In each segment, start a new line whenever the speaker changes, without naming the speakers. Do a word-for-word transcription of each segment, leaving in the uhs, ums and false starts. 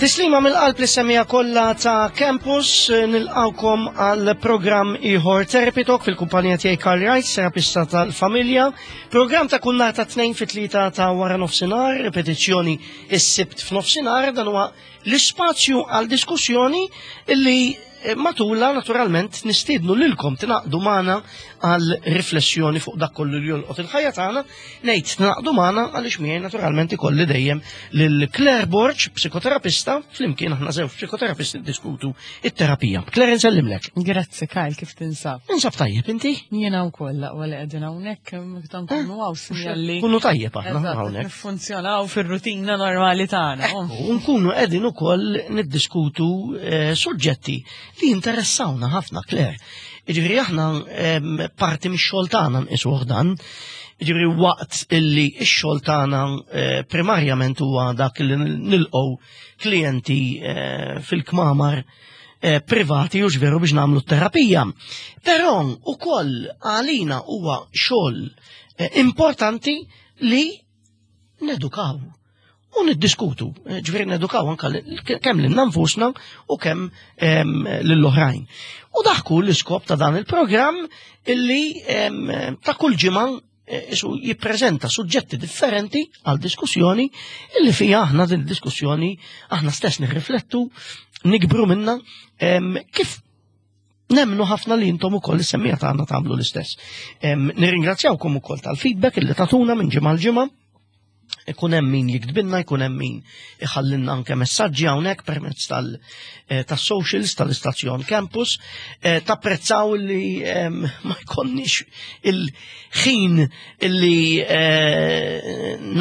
Tislima mill-qalb li semija kollha ta' Campus, nilqawkom għal programm ieħor Therapy Talk fil-kumpanija tiegħi Karl Wright, terapista tal-familja. Programm ta' kull nhar ta' tnejn fit-tlieta ta' wara nofsinhar, ripetizzjoni is-Sibt f'nofsinhar, dan huwa l-ispazju għal diskussjoni illi matula naturalment nistiednu lilkom tingħaqdu magħna għal riflessjoni fuq dak kollu li jolqot il-ħajja tagħna, ngħid tingħaqdu magħna għaliex miegħi naturalment ikolli dejjem lil Claire Borg, psikoterapista, flimkien aħna żewġ psikoterapisti diskutu it-terapija. Claire, nsellimlek.
Grazzi Kyle, kif tinsab?
Ninsab tajjeb, inti?
Jiena wkoll laqwa li qegħdin hawnhekk meta nkunu hawn sinjal li
Kunu tajjeb aħna hawnhekk.
Niffunzjonaw fir-rutina normali tagħna.
U nkunu qegħdin ukoll niddiskutu eh, suġġetti li jinteressawna ħafna, Claire. Ġifieri aħna parti mix-xogħol tagħna nqisuh dan. Ġifieri waqt illi x-xogħol tagħna eh, primarjament huwa dak li nilqgħu klijenti eh, fil-kmamar eh, privati u ġveru biex nagħmlu terapija. Però ukoll għalina huwa xogħol importanti li nedukaw u niddiskutu, ġifieri nedukaw anka kemm lil nfusna u kemm lill-oħrajn. U daħku l-iskop ta' dan il-programm illi ta' kull ġimgħa isu jippreżenta suġġetti differenti għal diskussjoni illi fija aħna din diskussjoni aħna stess nirriflettu, nikbru minna kif nemnu ħafna li intom ukoll is-semmija tagħna tagħmlu l-istess. Nirringrazzjawkom ukoll tal-feedback illi tatuna minn ġimgħa l ġimgħa. Ikun hemm min jiktbilna, jkun hemm min iħallinna anke messaġġi hawnhekk permezz tas-socials tal-istazzjon Campus. Tapprezzaw li ma jkollniex il-ħin illi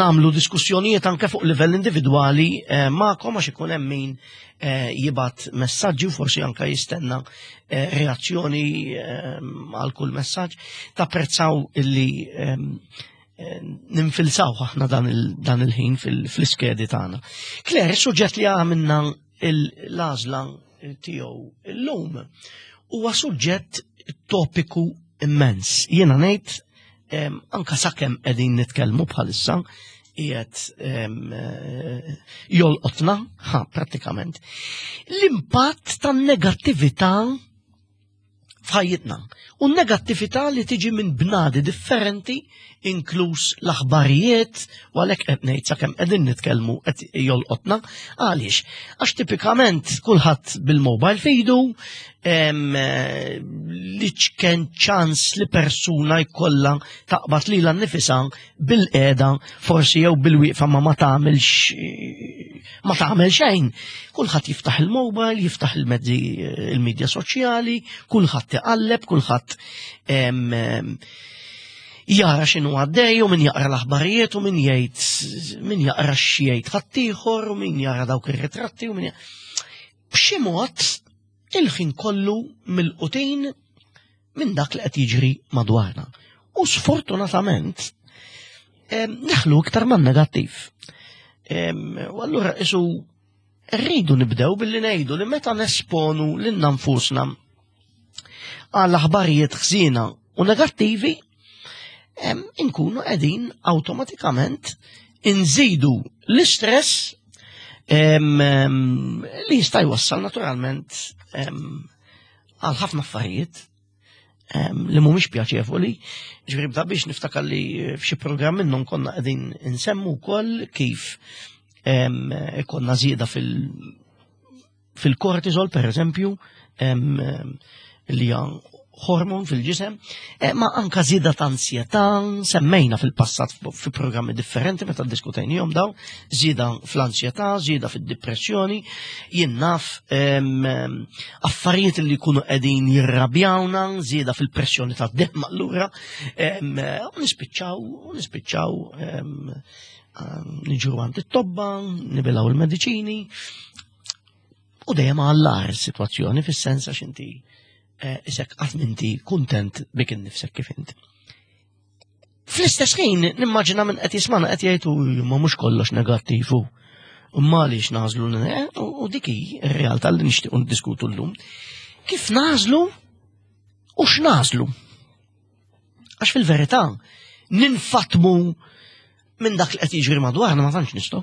nagħmlu diskussjonijiet anke fuq livell individwali magħkom għax ikun hemm min jibgħat messaġġi u forsi anke jistenna reazzjoni għal kull messaġġ. Tapprezzaw illi ninfilsaw aħna dan il-ħin fl-iskedi tagħna. Claire, suġġett li għamilna l-għażla tiegħu illum huwa suġġett topiku immens. Jiena ngħid anka sakemm qegħdin nitkellmu bħalissa qiegħed jolqotna, ha, prattikament. L-impatt tan-negattività f'ħajjitna. U negattività li tiġi minn bnadi differenti, inkluż l-aħbarijiet, u għalhekk qed ngħid sakemm qegħdin nitkellmu qed jolqotna. Għaliex? Għax tipikament kulħadd bil-mobile f'idu, li ċken ċans li persuna jkollha taqbad lilha nnifisha bil-qiegħda forsi jew bil-wieqfa ma ma tagħmilx ma tagħmel xejn. Kulħadd jiftaħ il-mobile, jiftaħ il-mezzi il-medja soċjali, kulħadd iqalleb, kulħadd jara x'inhu għaddej u min jaqra l-aħbarijiet u min jgħid min jaqra x'jgħid ħaddieħor u min jara dawk ir-ritratti u min b'xi mod il-ħin kollu mill-qutin minn dak li qed jiġri madwarna. U sfortunatament neħlu iktar man negattiv. U allura isu rridu nibdew billi ngħidu li meta nesponu lilna nfusna għal aħbarijiet ħżiena u negattivi, inkunu qegħdin awtomatikament inżidu l-istress li jista' jwassal naturalment għal ħafna affarijiet li mhumiex pjaċevoli. Ġifieri bda biex niftakar li f'xi programm minnhom konna qegħdin insemmu wkoll kif ikonna żieda fil- fil-kortisol per eżempju, li hija hormon fil-ġisem, ma anka żieda ta' ansjetà, semmejna fil-passat fi programmi differenti meta ddiskutejnihom daw, żieda fl-ansjetà, żieda fid-depressjoni, jien naf affarijiet li jkunu qegħdin jirrabjawna, żieda fil-pressjoni tad-demm allura, u nispiċċaw, u nispiċċaw niġru għand it-tobba, nibilgħu il-mediċini, u dejjem għall-agħar is-sitwazzjoni fis-sens għax inti isek qatt inti kuntent bik innifsek kif inti. Fl-istess ħin nimmaġina minn qed jismana qed jgħidu ma mhux kollox negattiv u imma għaliex nażlu u dik hi r-realtà li nixtiequ ndiskutu llum. Kif nażlu u x'nażlu? Għax fil-verità ninfatmu minn dak li qed jiġri madwarna ma tantx nistgħu.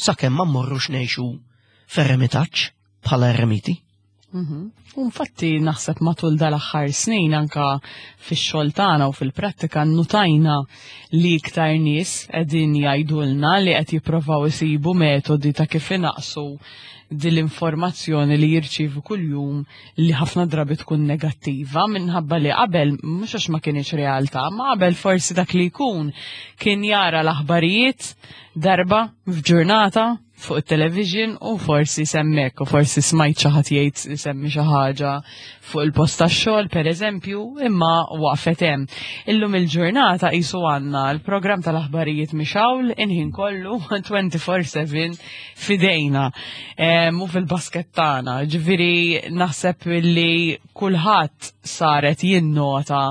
Sakemm ma mmorrux ngħixu f'eremitaġġ bħala eremiti.
Mhm. U infatti naħseb matul dal-aħħar snin anka fix-xogħol tagħna u fil-prattika nnutajna li iktar nies qegħdin jgħidulna li qed jippruvaw isibu metodi ta' kif inaqsu din l-informazzjoni li jirċievu kuljum li ħafna drabi tkun negattiva, minħabba li qabel, mhux għax ma kienx realtà, ma qabel forsi dak li jkun kien jara l-aħbarijiet darba f'ġurnata fuq il-television u forsi semmek u forsi smajt xi ħadd jgħid, semmi xi ħaġa fuq il-post tax-xogħol, pereżempju, imma waqfet hemm. Illum il-ġurnata qisu għandna l-programm tal-aħbarijiet mixgħul il-ħin kollu twenty-four seven f'idejna u fil-basket tagħna. Ġifieri naħseb li kulħadd saret jinnota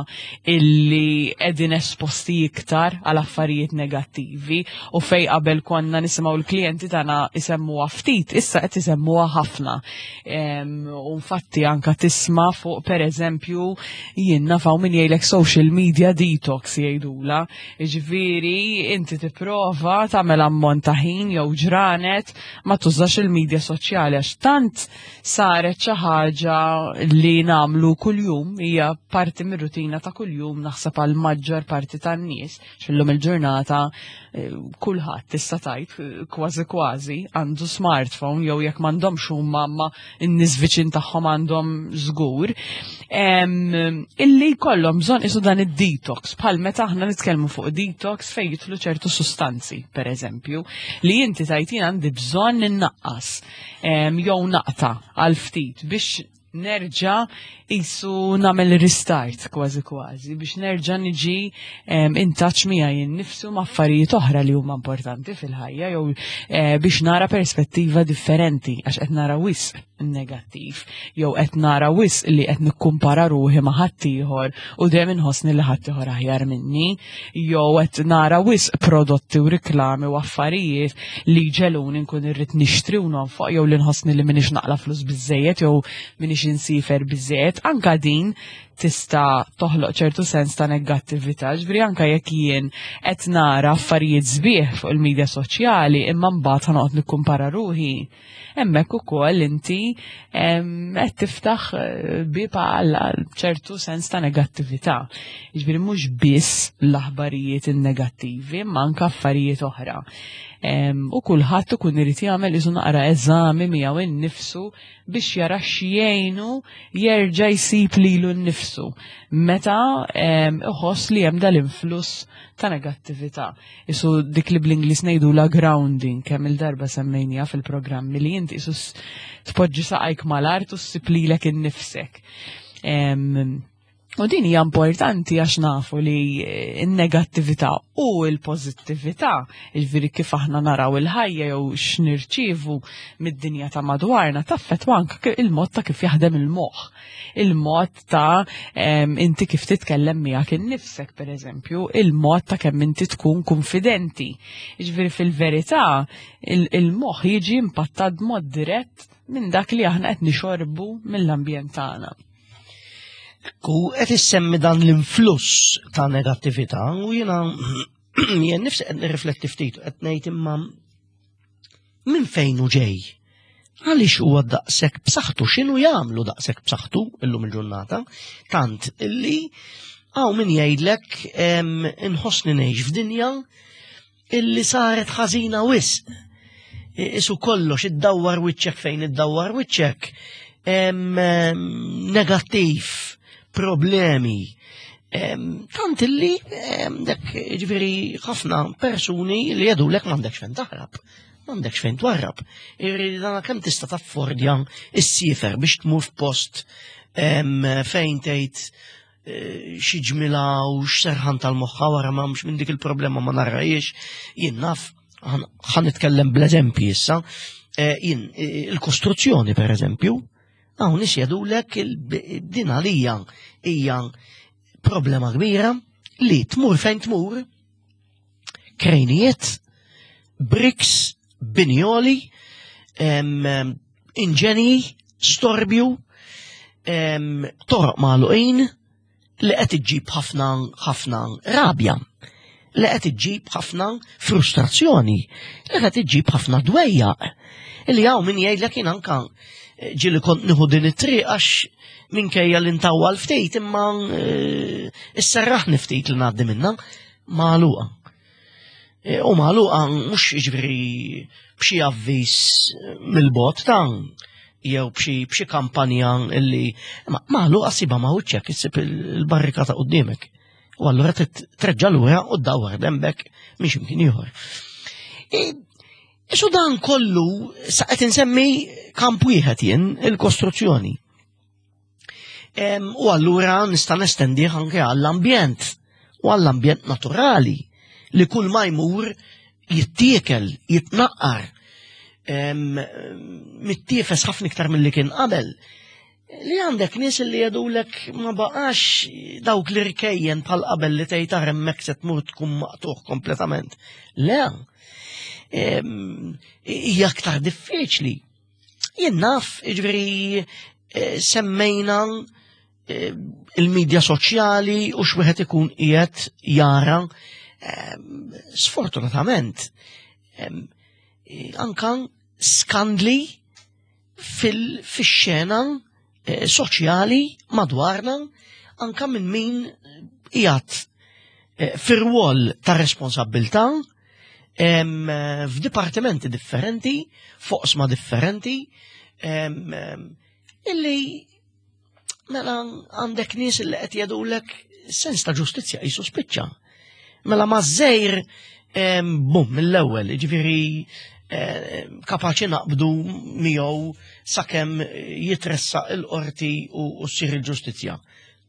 illi qegħdin esposti iktar għal affarijiet negattivi u fej qabel konna nisimgħu l-klijenti tagħna isemmuha ftit, issa qed isemmuha ħafna. U infatti anka tisma' fuq, pereżempju, jien naf hawn min jgħidlek social media detox jgħidula. Ġifieri inti tipprova tagħmel ammont ta' ħin jew ġranet ma tużax il-medja soċjali għax tant saret xi ħaġa li nagħmlu kuljum, hija parti mir-rutina ta' kuljum naħseb għal maġġor parti tan-nies. X'illum il-ġurnata eh, kulħadd tista' tgħid eh, kważi kważi għandu smartphone, jew jekk m'għandhomx huma, ma n-nies viċin tagħhom għandhom żgur. Illi jkollhom bżonn isu dan id-detox, bħal meta aħna nitkellmu fuq detox fejn jidħlu ċertu sustanzi, pereżempju, li inti tajtin għandi bżonn innaqqas jew naqta' għal ftit biex nerġa' isu nagħmel restart kważi kważi, biex nerġa' niġi in touch miegħi innifsu, ma' affarijiet oħra li huma importanti fil-ħajja, jew eh, biex nara perspettiva differenti għax qed nara wisq negattiv jew qed nara wisq li qed nikkumpara ruħi ma' ħaddieħor u dejjem inħossni li ħaddieħor aħjar minni, jew qed nara wisq prodotti u riklami u affarijiet li ġeluni nkun irrid nixtri u nonfoq, jew li nħossni li m'iniex naqla' flus biżejjed jew m'iniex insifer biżejjed. Anka din tista' toħloq ċertu sens ta' negattività, ġifieri anka jekk jien qed nara affarijiet sbieħ fuq il-medja soċjali imma mbagħad ħanoqgħod nikkumpara ruħi, hemmhekk ukoll inti qed tiftaħ eh, bieb għal ċertu sens ta' negattività. Ġifieri mhux biss l-aħbarijiet in-negattivi, imma anka affarijiet oħra. U kulħadd ikun irid jagħmel isu naqra eżami miegħu innifsu biex jara x'jgħinu jerġa' jsib lilu nnifsu meta iħoss li hemm dal-influss ta' negattività. Isu dik li bl-Ingliż ngħidu la grounding, kemm il-darba semmejnija fil-programmi, li inti isu tpoġġi saqajk mal-art u ssib lilek innifsek. U din hija importanti għax nafu li n-negattività u l-pożittività, jiġifieri kif aħna naraw il-ħajja jew x'nirċievu mid-dinja ta' madwarna, taffettwa anke il-mod ta' kif jaħdem il-moħħ. Il-mod ta' inti kif titkellem miegħek innifsek, pereżempju, il-mod ta' kemm inti tkun konfidenti. Jiġifieri fil-verità il-moħħ jiġi impattat b'mod dirett minn dak li aħna qed nixorbu mill-ambjent tagħna.
Ku qed issemmi dan l-influss ta' negattività u jiena jien nifsi qed nirrifletti ftit u qed ngħid, imma minn fejn hu ġej? Għaliex huwa daqshekk b'saħħtu, x'inhu jagħmlu daqshekk b'saħħtu illum il-ġurnata? Tant illi hawn min jgħidlek, inħossni ngħix f'dinja illi saret ħażina wisq. Isu kollox iddawwar wiċċek, fejn iddawwar wiċċek negattiv, problemi. Tant illi dak, ġifieri, ħafna persuni li jgħidulek m'għandekx fejn taħrab, m'għandekx fejn twarrab. Irri dana kemm tista' taffordja issiefer biex tmur f'post fejn tgħid eh, xi ġmila u x'serħan tal-moħħa wara ma mhux minn dik il-problema ma narrajiex. Jien naf, ħa nitkellem bl-eżempji issa, eh, jien eh, il-kostruzzjoni, per eżempju, hawn nies jgħidulek din għalija hija problema kbira li tmur fejn tmur, krejnijiet, bricks, binjoli, inġenji, storbju, toroq magħluqin li qed iġġib ħafna ħafna rabja. Li qed iġġib ħafna frustrazzjoni, li qed iġġib ħafna dwejjaq. Illi hawn min jgħidlek jien anka ġieli kont nieħu din it-triq għax minkejja li ntawwal ftit imma isserraħni ftit li ngħaddi minnha, magħluqa. U magħluqa mhux jiġifieri b'xi avviż mill-bogħod ta' jew b'xi b'xi kampanja illi magħluqa ssibha ma' wiċċek, issib il-barrikata quddiemek. U allura treġġa' lura u ddawwar dembek minn x'imkien ieħor. Isu dan kollu sa qed insemmi kamp wieħed jien, il-kostruzzjoni. U allura nista' nestendih anke għall-ambjent u għall-ambjent naturali li kull ma jmur jittiekel, jitnaqqar, mittiefes ħafna iktar milli kien qabel. Li għandek nies li jgħidulek ma baqax dawk li rkejjen bħal qabel li tgħid ara hemmhekk se tmur tkun maqtuħ kompletament. Le, hija aktar diffiċli. Jien naf, jiġifieri semmejna il-medja soċjali u x'wieħed ikun qiegħed jara. Sfortunatament, anka skandli fil-xena soċjali madwarna, anka minn min qiegħed fir-rwol ta' responsabbiltà f'dipartimenti differenti, f'oqsma differenti, illi mela għandek nies li qed jgħidulek sens ta' ġustizzja qisu spiċċa. Mela ma' żejr bum mill-ewwel, jiġifieri kapaċi naqbdu miegħu sakemm jitressaq il-qorti u ssir il-ġustizzja.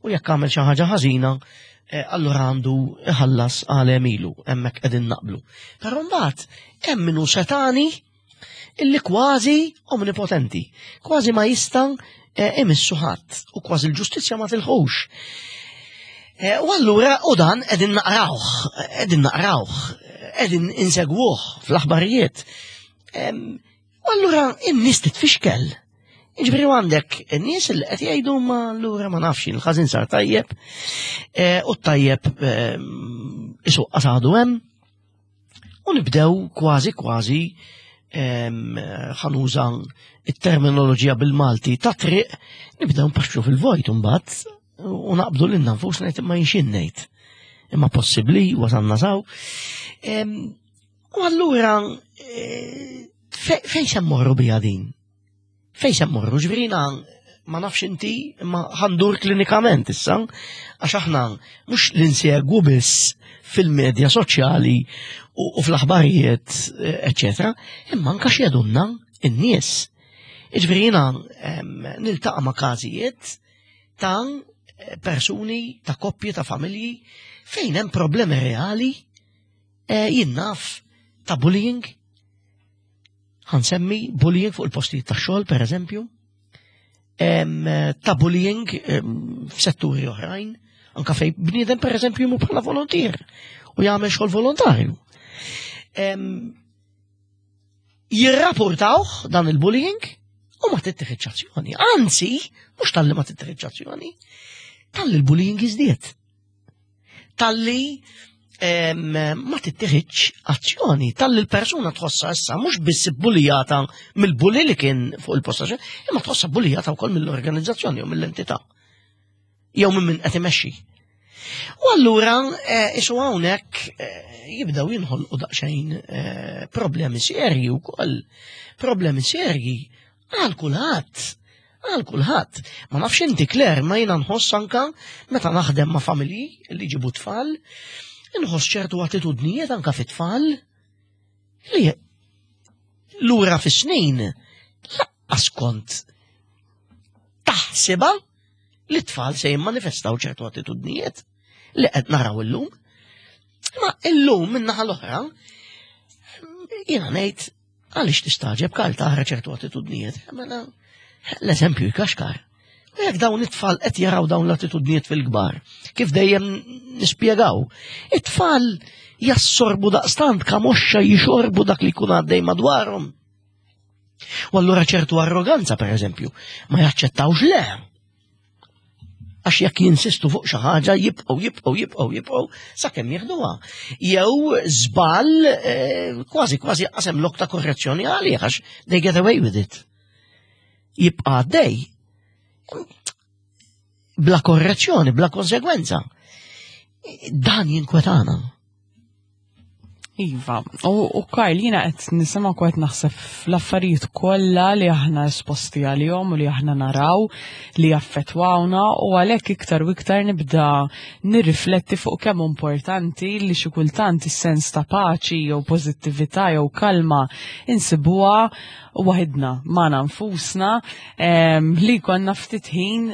U jekk għamel xi ħaġa ħażina, allura għandu iħallas għal emilu, hemmhekk qegħdin naqblu. Però mbagħad hemm minnu setani illi kważi omnipotenti, kważi ma jista' imissu ħadd u kważi l-ġustizzja ma tilħux. U allura u dan qegħdin naqrawh, qegħdin naqrawh, qegħdin insegwuh fl-aħbarijiet. U allura in-nies titfixkel. Jiġifieri għandek in-nies li qed jgħidu ma allura ma nafx il-ħażin sar tajjeb u t-tajjeb isuq qasadu hemm u nibdew kważi kważi ħanuża it-terminoloġija bil-Malti ta' triq, nibdew npaxxu fil-vojt imbagħad u naqbdu lilna nfusna ngħid imma jinxin ngħid. Imma possibbli wasalna saw. U allura fejn se mmorru biha din? Fejn se mmorru? Ġifieri ma nafx inti imma ħandur klinikament issa, għax aħna mhux li nsegwu biss fil-medja soċjali u fl-aħbarijiet, eċetera, imma anke x'jedunna n-nies. Jiġifieri jiena niltaqa' ma' każijiet ta' persuni, ta' koppji, ta' familji fejn hemm problemi reali, jien naf ta' bullying. Ħansemmi bullying fuq il-postijiet ta' xogħol, per eżempju, ta' bullying f'setturi oħrajn, anka fejn bniedem per eżempju jmur bħala volontier u jagħmel xogħol volontarju. Jirrapportawh dan il-bullying u ma tittieħedx azzjoni. Anzi, mhux talli ma tittieħedx azzjoni, talli l-bullying jiżdied. Talli ma tittieħedx azzjoni, talli l-persuna tħossha issa mhux biss bulijata mill-bulli li kien fuq il-posta, imma tħossha bulijata wkoll mill-organizzazzjoni u mill-entità. Jew minn min qed imexxi. U allura isu hawnhekk jibdew jinħolqu daqsxejn problemi serji wkoll, problemi serji għal kulħadd. Għal kulħadd. Ma nafx inti Claire, ma jiena nħoss anka meta naħdem ma' familji li jġibu tfal, nħoss ċertu attitudnijiet anka fit-tfal li lura fis-snin laqqas kont taħsibha li t-tfal se jimmanifestaw ċertu attitudnijiet li qed naraw illum. Ma illum min-naħa l-oħra jiena ngħid għaliex tistaġeb kal taħra ċertu attitudnijiet. Mela l-eżempju jkaxkar. U jekk dawn it-tfal qed jaraw dawn l-attitudnijiet fil-kbar, kif dejjem nispjegaw, it-tfal jassorbu daqstant kamoxxa jixorbu dak li jkun għaddej madwarhom. U allura ċertu arroganza, per eżempju, ma jaċċettawx le. Għax jekk jinsistu fuq xi ħaġa jibqgħu jibqgħu jibqgħu jibqgħu sakemm jieħduha. Jew żball eh, kważi kważi qasem lok ta' korrezzjoni għalih għax they get away with it. Jibqa' għaddej. Bla korrezzjoni, bla konsegwenza. Dan jinkwetana.
Iva, u, u Karl, jiena qed nisimgħu qed naħseb fl-affarijiet kollha li aħna esposti għalihom u li aħna naraw li jaffettwawna, u għalhekk iktar u iktar nibda nirrifletti fuq kemm importanti li xi kultant is-sens ta' paċi jew pożittività jew kalma insibuha waħidna magħna nfusna, em, li konna ftit ħin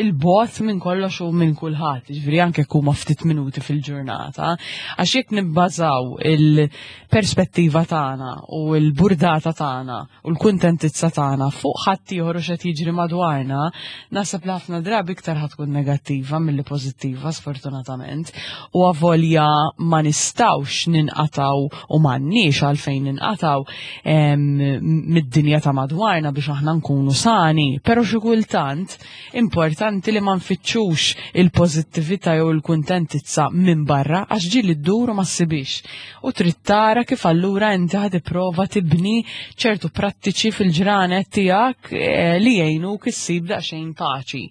il-bogħod minn kollox u minn kulħadd, ġifieri anke huma ftit minuti fil-ġurnata, għax jekk nibbażaw il-perspettiva tagħna u l-burdata tagħna u l-kuntentizza tagħna fuq ħadd ieħor u x'qed jiġri madwarna, naħseb li ħafna drabi iktar ħa tkun negattiva milli pożittiva, sfortunatament. U avolja ma nistgħux ninqataw u m'għandniex għalfejn ninqataw em, mid-dinja ta' madwarna biex aħna nkunu sani, pero xi kultant importanti li ma nfittxux il-pożittività jew il-kuntentizza minn barra, għax ġieli ddur u ma ssibix. U trid tara kif allura inti ħa tipprova tibni ċertu prattiċi fil-ġranet tiegħek eh, li jgħinuk issib daqsxejn paċi.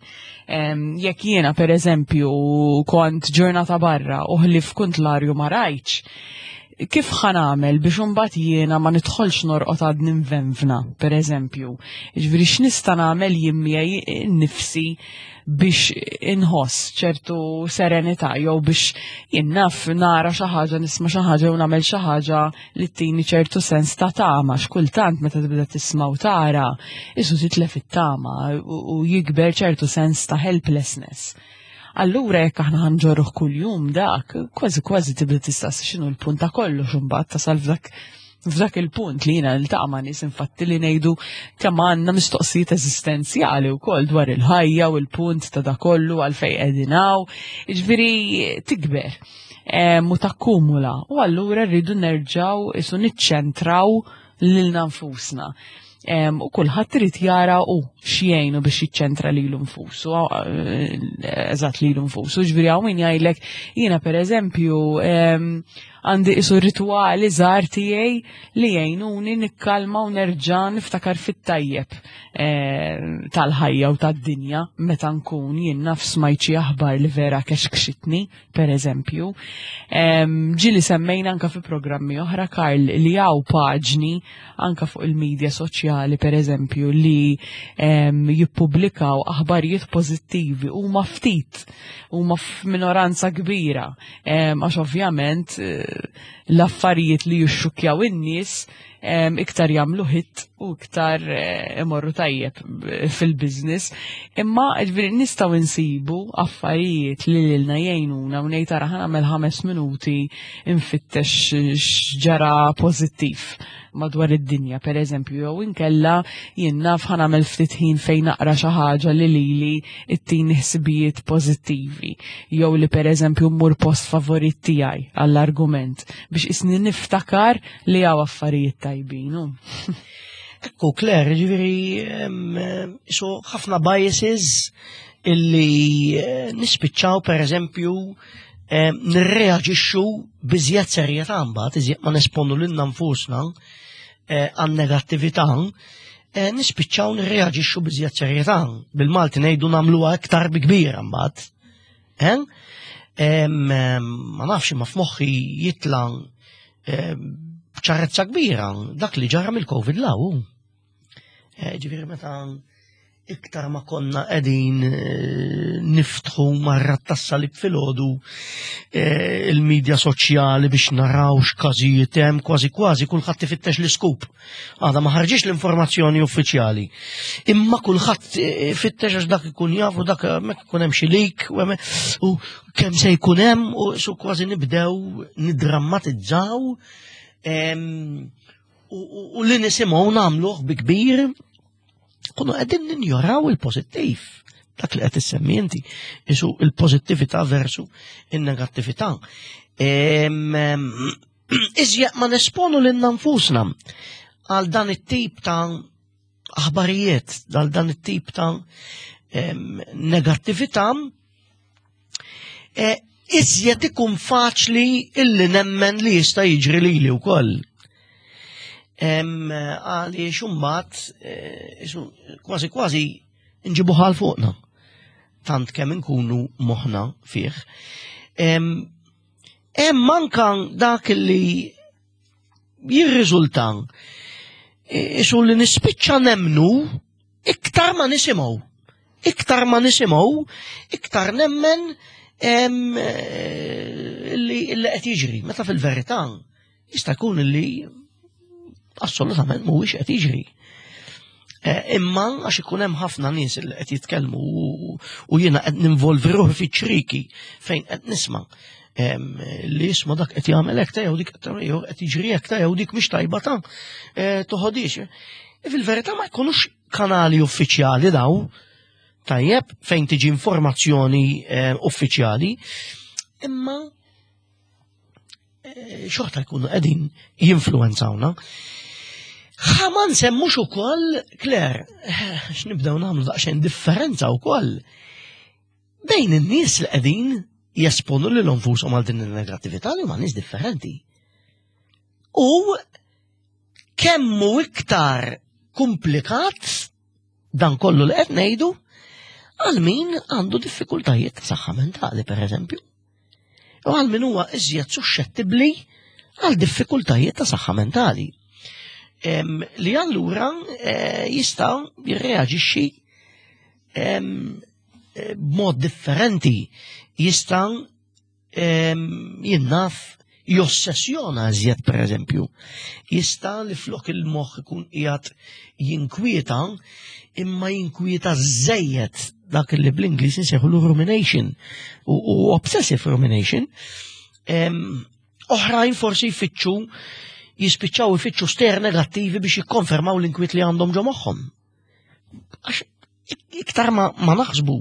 Em, Jekk jiena, per eżempju, kont ġurnata barra u ħlief kont l-arju ma rajtx, kif ħa nagħmel biex imbagħad jiena ma nidħolx norqod għad ninvenvna, per eżempju? Ġifieri x'nista' nagħmel jien miegħi nnifsi biex inħoss ċertu serenità jew biex jien naf nara xi ħaġa, nisma' xi ħaġa u nagħmel xi ħaġa li tini ċertu sens ta' tama? X'kultant meta tibda tisma' u tara, isu titlef it-tama u u jikber ċertu sens ta' helplessness. Allura jekk aħna ħa nġorruh kuljum dak, kważi kważi tibda tistaqsi x'inhu l-punt ta' kollox, imbagħad tasal f'dak f'dak il-punt li jiena niltaqa' ma' nies, infatti, li ngħidu kemm għandna mistoqsijiet eżistenzjali wkoll dwar il-ħajja u l-punt ta' da kollu, għalfejn qegħdin hawn. Jiġifieri tikber em, u takkumula u allura rridu nerġgħu isu niċċentraw lilna nfusna. Em, U kulħadd irid jara u x'jgħinu biex jiċċentra lilu nfusu, eh, eżatt, lilu nfusu. Ġifieri hawn min jgħidlek, jiena per eżempju em, għandi isu rituali żgħar tiegħi li jgħinuni nikkalma u nerġa' niftakar fit-tajjeb eh, tal-ħajja u tad-dinja meta nkun jien naf smajt xi aħbar li vera kexkxitni, per eżempju. Em, Ġieli semmejna anka fi programmi oħra, Karl, li hawn paġni anka fuq il-medja soċjali, per eżempju, li em, jippubblikaw aħbarijiet pożittivi. Huma ftit, huma f'minoranza kbira, em, għax ovvjament eh, l-affarijiet li jixxukjaw in-nies em, iktar jagħmlu hit u iktar eh, imorru tajjeb fil-business. Imma ġifieri nistgħu nsibu affarijiet li lilna jgħinuna u ngħid, "Ara, ħa nagħmel ħames minuti infittex x'ġara pożittiv madwar id-dinja," per eżempju, jew inkella jien naf ħa nagħmel ftit ħin fejn naqra xi ħaġa li lili ittini ħsibijiet pożittivi, jew li, per eżempju, mmur post favorit tiegħi għall-argument biex isni niftakar li hawn affarijiet tajbin. u.
Ekku, Claire, ġifieri, em, so ħafna biases illi eh, nispiċċaw, per eżempju, em, nirreaġixxu b'iżjed serjetà mbagħad, iżjed ma nesponu lilna nfusna eh, għan negattività, eh, nispiċċaw nirreaġixxu b'iżjed serjetà. Bil-Malti ngħidu nagħmluha iktar bi kbira mbagħad. Eh? Em, em, Ma nafx, ma f'moħħi jitla' em, b'ċarezza kbira dak li ġara mill-Covid law. Eh, Ġifieri meta iktar ma konna qegħdin eh, niftħu marra tas-salib filgħodu eh, il-medja soċjali biex naraw x'każijiet hemm, kważi kważi kulħadd ifittex l-iskop. Għada ma ħarġix l-informazzjoni uffiċjali. Imma kulħadd eh, fittex għax dak ikun jafu, dak hemmhekk ikun hemm xi leak u hemm- u kemm se jkun hemm, u su kważi nibdew nidrammatizzaw em, u, u, u li nisimgħu nagħmluh bi kbir, kunu qegħdin ninjoraw il-pożittiv. Dak li qed issemmi inti, isu il-pożittività versu in-negattività. Em, em, Iżjed ma nesponu lilna nfusna għal dan it-tip ta' aħbarijiet, għal dan it-tip ta' negattività, eh, iżjed ikun faċli illi nemmen li jista' jiġri lili wkoll. Għaliex imbagħad eh, kważi kważi nġibu ħal fuqna. Tant kemm inkunu moħħna fih. Hemm anka dak li jirriżulta isu li nispiċċa nemnu iktar ma nisimgħu. Iktar ma nisimgħu, iktar nemmen eh, li qed jiġri. Meta fil-verità jista' jkun li assolutament mhuwiex qed jiġri. Eh, imma għax ikun hemm ħafna nies li qed jitkellmu u jiena qed ninvolvi ruħi fiċ-ċriki fejn qed nisma' li jisma' dak qed jagħmel hekk jew dik qed jiġri hekk jew dik mhix tajba ta' eh, toħodix. E fil-verità ma jkunux kanali uffiċjali daw, tajjeb, fejn tiġi informazzjoni eh, uffiċjali, imma xorta jkunu qegħdin jinfluwenzawna. Ħa ma nsemmux ukoll, Claire, x'nibdew nagħmlu daqsxejn differenza wkoll bejn in-nies li qegħdin jesponu lil nfushom għal din il-negattività li huma nies differenti. U kemmu iktar komplikat dan kollu li qed ngħidu għal min għandu diffikultajiet ta' saħħa mentali, per eżempju. U għal min huwa iżjed suxxettibbli għal diffikultajiet ta' saħħa mentali. Li allura eh, jista' jirreaġixxi eh, b'mod differenti, jista' jinnaf jossessjona iżjed per eżempju. Jista' li flok il-moħħ ikun qiegħed jinkwieta, imma jinkwieta żejjed dak li bl-Ingliż insejħu rumination u obsessive rumination. Oħrajn forsi jfittxu jispiċċaw ifittxu stejjer negattivi biex jikkonfermaw l-inkwiet li għandhom ġo moħħhom. Għax iktar ma, ma naħsbu,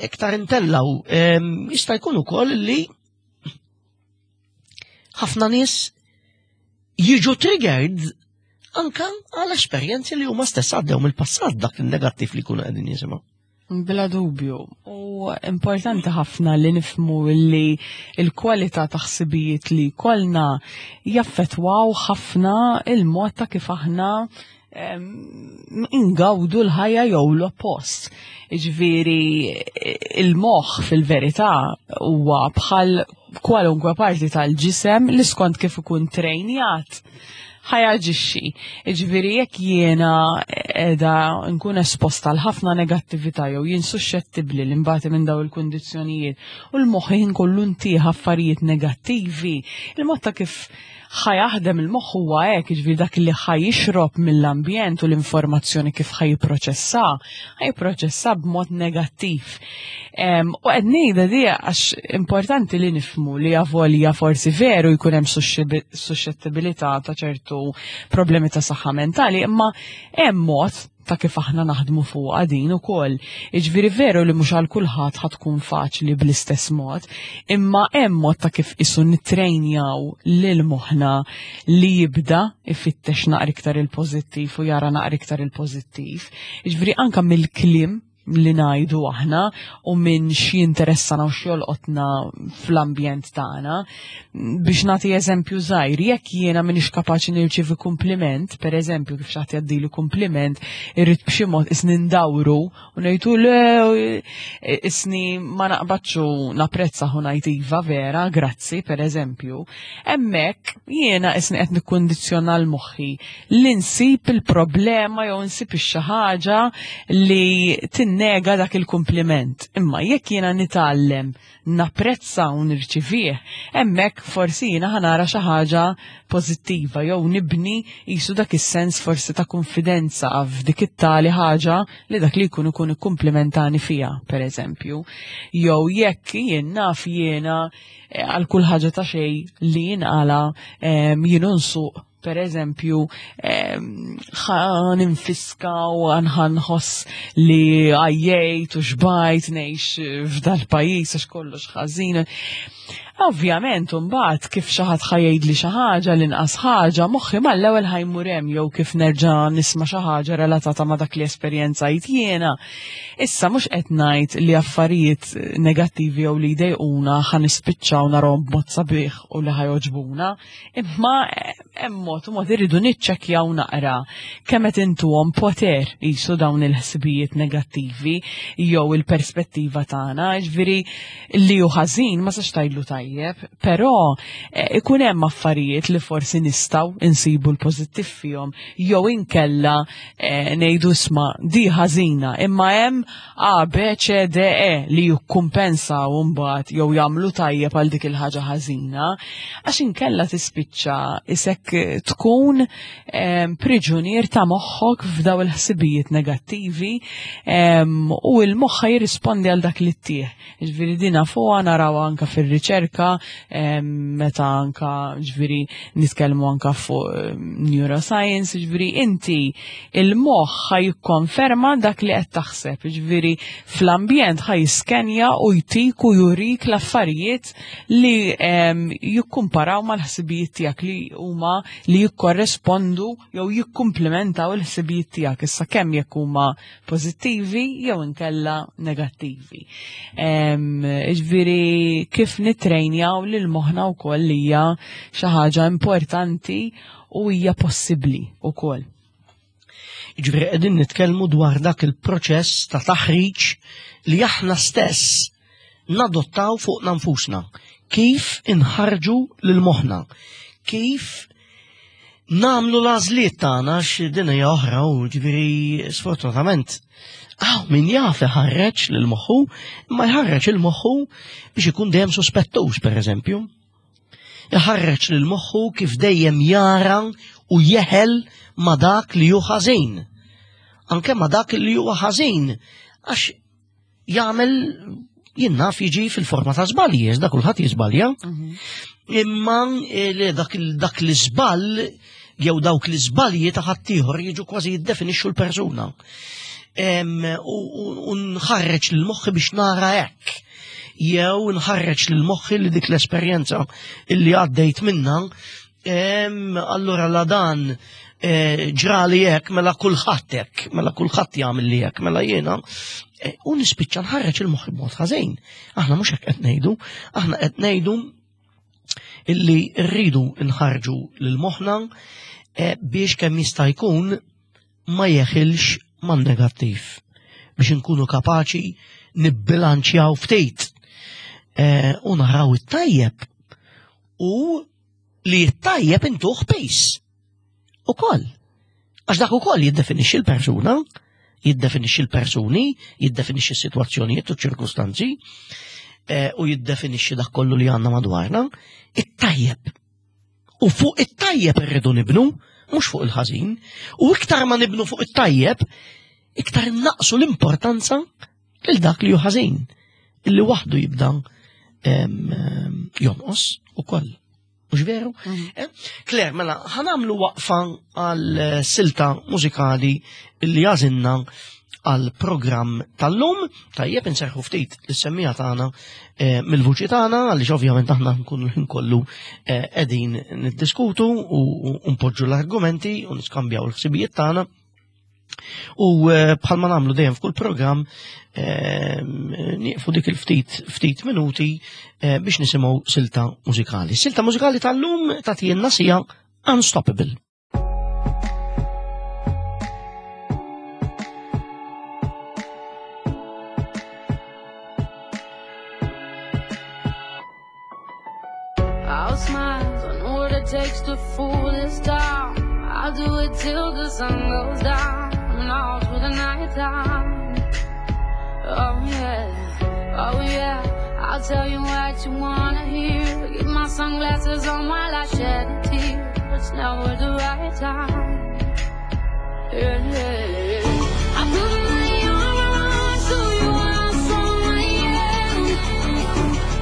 iktar intellaw, jista' jkun ukoll li ħafna nies jiġu triggered anka għal esperjenzi li huma stess għaddew mill-passat dak il-negattiv li jkunu qegħdin jisimgħu.
Bla dubju. U importanti ħafna li nifmu li il-kwalità ta' ħsibijiet li kollna jaffetwaw ħafna il-mod ta' kif aħna ingawdu l-ħajja jew l-oppost. Ġifieri il-moħħ fil-verità huwa bħal kwalunkwe parti tal-ġisem li skont kif ikun trejnjat ħa jaġixxi. Ġifieri jekk jiena edha nkun esposta għal ħafna negattività jew jien suxxettibbli li nbati minn daw il-kundizzjonijiet u l-moħħ kollu ntih affarijiet negattivi, il-mod ta' kif ħa jaħdem il-moħħ huwa hekk, jiġifieri dak li ħa jixrob mill-ambjent u l-informazzjoni kif ħa jipproċessa, ħa jipproċessa b'mod negattiv. U qed ngħidha di għax importanti li nifmu li avolja forsi veru jkun hemm suxxettibilità ta' ċertu problemi ta' saħħa mentali, imma hemm mod ta' kif aħna naħdmu fuq din ukoll. Jiġifieri veru li mhux għal kulħadd ħa tkun faċli bl-istess mod, imma hemm mod ta' kif isu nittrejnjaw lil moħħna li jibda ifittex naqra iktar il-pożittiv u jara naqra iktar il-pożittiv. Jiġifieri anka mill-kliem li ngħidu aħna u minn xi interessana u x'jolqotna fl-ambjent tagħna. Biex nagħti eżempju żgħir, jekk jiena m'iniex kapaċi nirċievi kumpliment, per eżempju kif xi ħadd jgħaddili kumpliment, irrid b'xi mod isni ndawru u ngħidu le isni ma naqbadx u napprezza u ngħid iva vera, grazzi, per eżempju. Hemmhekk jiena isni qed nikkundizzjona l-moħħi li nsib il-problema jew nsib xi ħaġa li tinnega dak il-kumpliment. Imma jekk jiena nitgħallem napprezza u nirċivih, hemmhekk forsi jiena ħa nara xi ħaġa pożittiva jew nibni jisu dak is-sens forsi ta' konfidenza f'dik it-tali ħaġa li dak li jkun ikun ikkumplimentani fiha, per eżempju. Jew jekk jien naf jiena eh, għal kull ħaġa ta' xejn li jinqala jien nsuq per eżempju, ħa ninfiska u ħa nħoss li għajjejt u xbajt ngħix f'dal-pajjiż għax kollox ħażin. Ovvjament, mbagħad kif xi ħadd ħa jgħidli xi ħaġa l-inqas ħaġa, moħħi mal-ewwel ħa jmur hemm jew kif nerġa' nisma' xi ħaġa relatata ma' dak li esperjenzajt jiena. Issa mhux qed ngħid li affarijiet negattivi jew li jdejquna ħa nispiċċaw narahom b'mod sabiħ u li ħa jogħġbuna, imma hemm mod u mod irridu niċċekkjaw naqra kemm qed intuhom poter qisu dawn il-ħsibijiet negattivi jew il-perspettiva tagħna, ġifieri li hu ħażin ma sax tgħidlu tajjeb, però ikun hemm affarijiet li forsi nistgħu insibu l-pożittiv fihom jew inkella ngħidu isma' di ħażina, imma hemm A, B, C, D, E li jikkumpensaw mbagħad jew jagħmlu tajjeb għal dik il-ħaġa ħażina, għax inkella tispiċċa isek tkun priġunier ta' moħħok f'daw il-ħsibijiet negattivi u l-moħħ jirrispondi għal dak li ttieħ. Ġifieri dina fuqha naraw anka fir-riċerka, meta anka ġifieri nitkellmu anka fuq neuroscience, ġifieri inti il-moħħ ħa jikkonferma dak li qed taħseb, ġifieri fl-ambjent ħa jiskenja u jtik u jurik l-affarijiet li jikkumparaw mal-ħsibijiet tiegħek li huma li jikkorrespondu jew jikkumplementaw il-ħsibijiet tiegħek issa kemm jekk huma pożittivi jew inkella negattivi. Ġifieri kif nitrejnjaw lil moħħna wkoll hija xi ħaġa importanti u hija possibbli wkoll.
Ġifieri qegħdin nitkellmu dwar dak il-proċess ta' taħriġ li aħna stess nadottaw fuqna nfusna. Kif inħarġu lil moħħna, kif namlu l-għażliet tagħna x'din hija oħra u ġifieri sfortunatament hawn min jaf iħarreġ lil moħħu, imma jħarreġ il moħħu biex ikun dejjem sospettuż pereżempju. Iħarreġ lil moħħu kif dejjem jara u jeħel ma dak li hu ħażin. Anke ma dak li huwa ħażin għax jagħmel jien naf jiġi fil-forma ta' żbalji, da kulħadd jiżbalja. Imma dak l-iżball jew dawk l-iżbalji ta' ħaddieħor jiġu kważi jiddefinixxu l-persuna. U nħarreġ lil moħħi biex nara hekk. Jew nħarreġ lil moħħi li dik l-esperjenza illi għaddejt minna, allura la dan ġrali hekk, mela kulħadd hekk, mela kulħadd jagħmel li hekk, mela jiena. U nispiċċa nħarreġ il-moħħi b'mod ħażin. Aħna mhux hekk qed ngħidu, aħna qed ngħidu illi rridu nħarġu lil moħħna biex kemm jista' jkun ma jeħilx man-negattiv, biex inkunu kapaċi nibbilanċjaw ftit u naraw it-tajjeb u li t-tajjeb intuh pejs ukoll. Għax dak ukoll jiddefinixxi l-persuna, jiddefinixxi l-persuni, jiddefinixxi s-sitwazzjonijiet u ċ-ċirkustanzi u jiddefinixxi dak kollu li għandna madwarna, it-tajjeb. U fuq it-tajjeb irridu nibnu, mhux fuq il-ħażin, u iktar ma nibnu fuq it-tajjeb, iktar naqsu l-importanza lil dak li hu ħażin, illi waħdu jibda jonqos ukoll. Mhux veru? Claire, mela, ħanamlu waqfa għal silta mużikali illi għażilna għal programm tal-lum. Tajjeb inserħu ftit l-semmija tagħna mill-vuċi tagħna għaliex ovvjament aħna nkunu l-ħin kollu qegħdin niddiskutu u npoġġu l-argumenti u niskambjaw l-ħsibijiet tagħna. U bħalma nagħmlu dejjem f'kull programm nieqfu dik il-ftit ftit minuti biex nisimgħu silta mużikali. Silta mużikali tal-lum tagħtielna sija Unstoppable.
All smiles, I know what it takes to fool this town. I'll do it till the sun goes down and all through the night time. Oh yeah, oh yeah, I'll tell you what you wanna hear. Get my sunglasses on while I shed a tear. It's never the right time. Yeah, yeah. I put my arm around, show you how strong I am.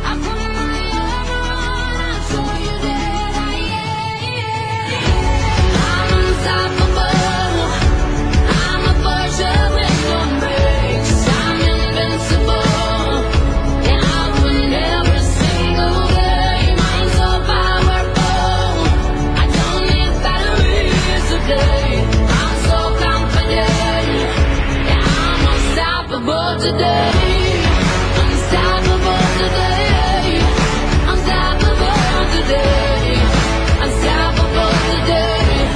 I put my arm around, I'll show you that I am. I'm unstoppable. I'm a pusher with no brakes. I'm invincible. And I win every single game. Unstoppable today. Unstoppable today. Unstoppable today.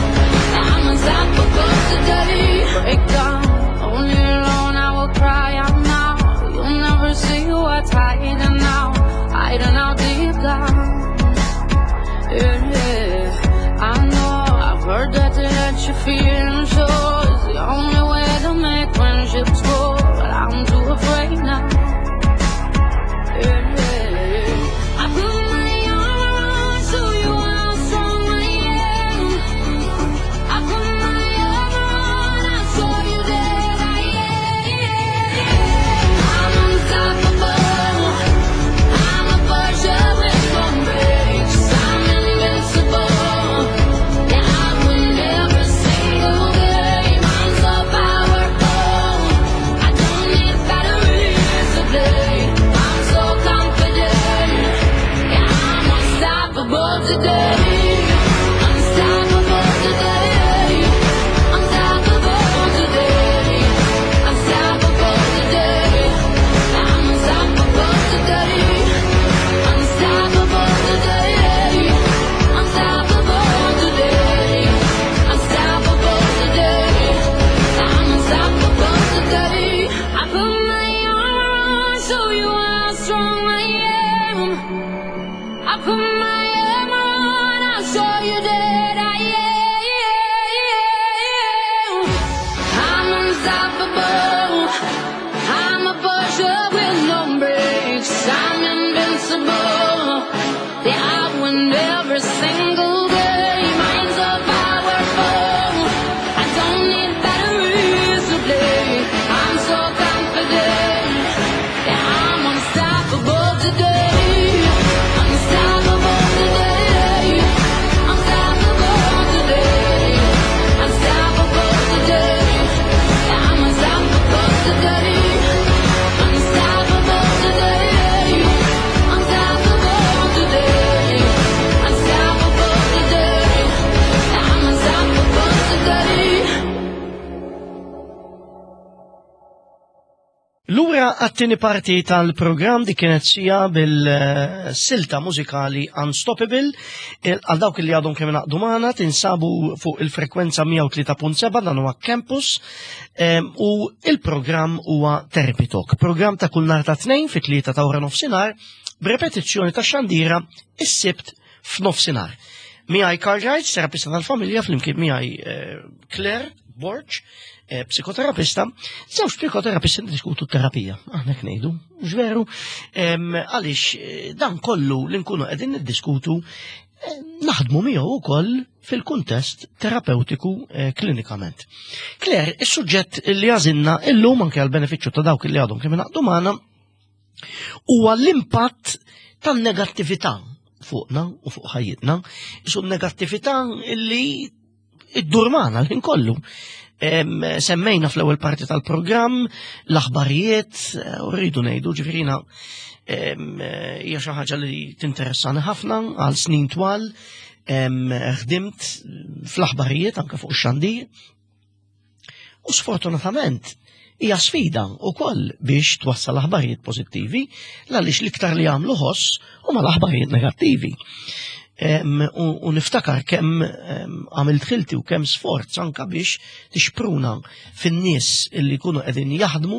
I'm unstoppable today. Break down, only alone I will cry out now. You'll never see what's hiding now, hiding out deep down. Yeah, yeah. I know I've heard that to let you feel sure is the only way to make friendships grow, but I'm too afraid now. Yeah, yeah. I put my armor on, show you how strong I am. I put my armor on, I'll show you that I am. I'm unstoppable. I'm a pusher with no brakes. I'm invincible. Yeah, I win every single game. I'm so powerful. I don't need batteries to play. I'm so confident. Yeah, I'm unstoppable today. Unstoppable today. Unstoppable today. Unstoppable today. I'm unstoppable today. Unstoppable today. Unstoppable today. Unstoppable today. I'm unstoppable today. I put my armor on, show you how strong I am. I put my armor on, I'll show you that I am. I'm unstoppable. I'm a pusher with no brakes. I'm invincible. Yeah, I win every single game. I'm so powerful. I don't need batteries to play. I'm so confident. Yeah, I'm unstoppable today. Unstoppable today. Unstoppable today. Unstoppable today. I'm unstoppable today. Unstoppable today. Unstoppable today. Unstoppable today. I'm unstoppable today.
Lura għat-tieni parti tal-programm, di kienet Sia bil-silta mużikali Unstoppable. Għal dawk li għadhom kemm ingħaqdu magħna, tinsabu fuq il-frekwenza mija u tlieta punt seba', dan huwa Campus em, u il-programm huwa Therapy Talk. Programm ta' kull nhar ta' Tnejn fit-tlieta ta' wara nofsinhar b'repetizzjoni ta' xandira is-Sibt f'nofsinhar. Miegħi Karl Wright, terapista tal-familja, flimkien miegħi eh, Claire Borg, eh, psikoterapista, żewġ psikoterapisti diskutu terapija, aħna ngħidu, mhux veru, Em, għaliex eh, dan kollu li nkunu qegħdin niddiskutu eh, naħdmu miegħu wkoll fil-kuntest terapeutiku eh, klinikament. Claire, is-suġġett li għażilna illum anke għal benefiċċju ta' dawk li għadhom kemm ingħaqdu magħna huwa l-impatt tan-negattività fuqna u fuq ħajjitna, isu negattività illi iddur magħna l-ħin kollu. Em, Semmejna fl-ewwel parti tal-programm l-aħbarijiet, eh, u rridu ngħidu ġifieri em, eh, hija xi ħaġa li tinteressani ħafna. Għal snin twal em, ħdimt fl-aħbarijiet anke fuq ix-xandir. U sfortunatament hija sfida wkoll biex twassal aħbarijiet pożittivi għaliex l-iktar li jagħmlu ħoss huma l-aħbarijiet negattivi. Em, u, u niftakar kemm em, għamilt ħilti u kemm sforz anka biex tixpruna fin-nies illi jkunu qegħdin jaħdmu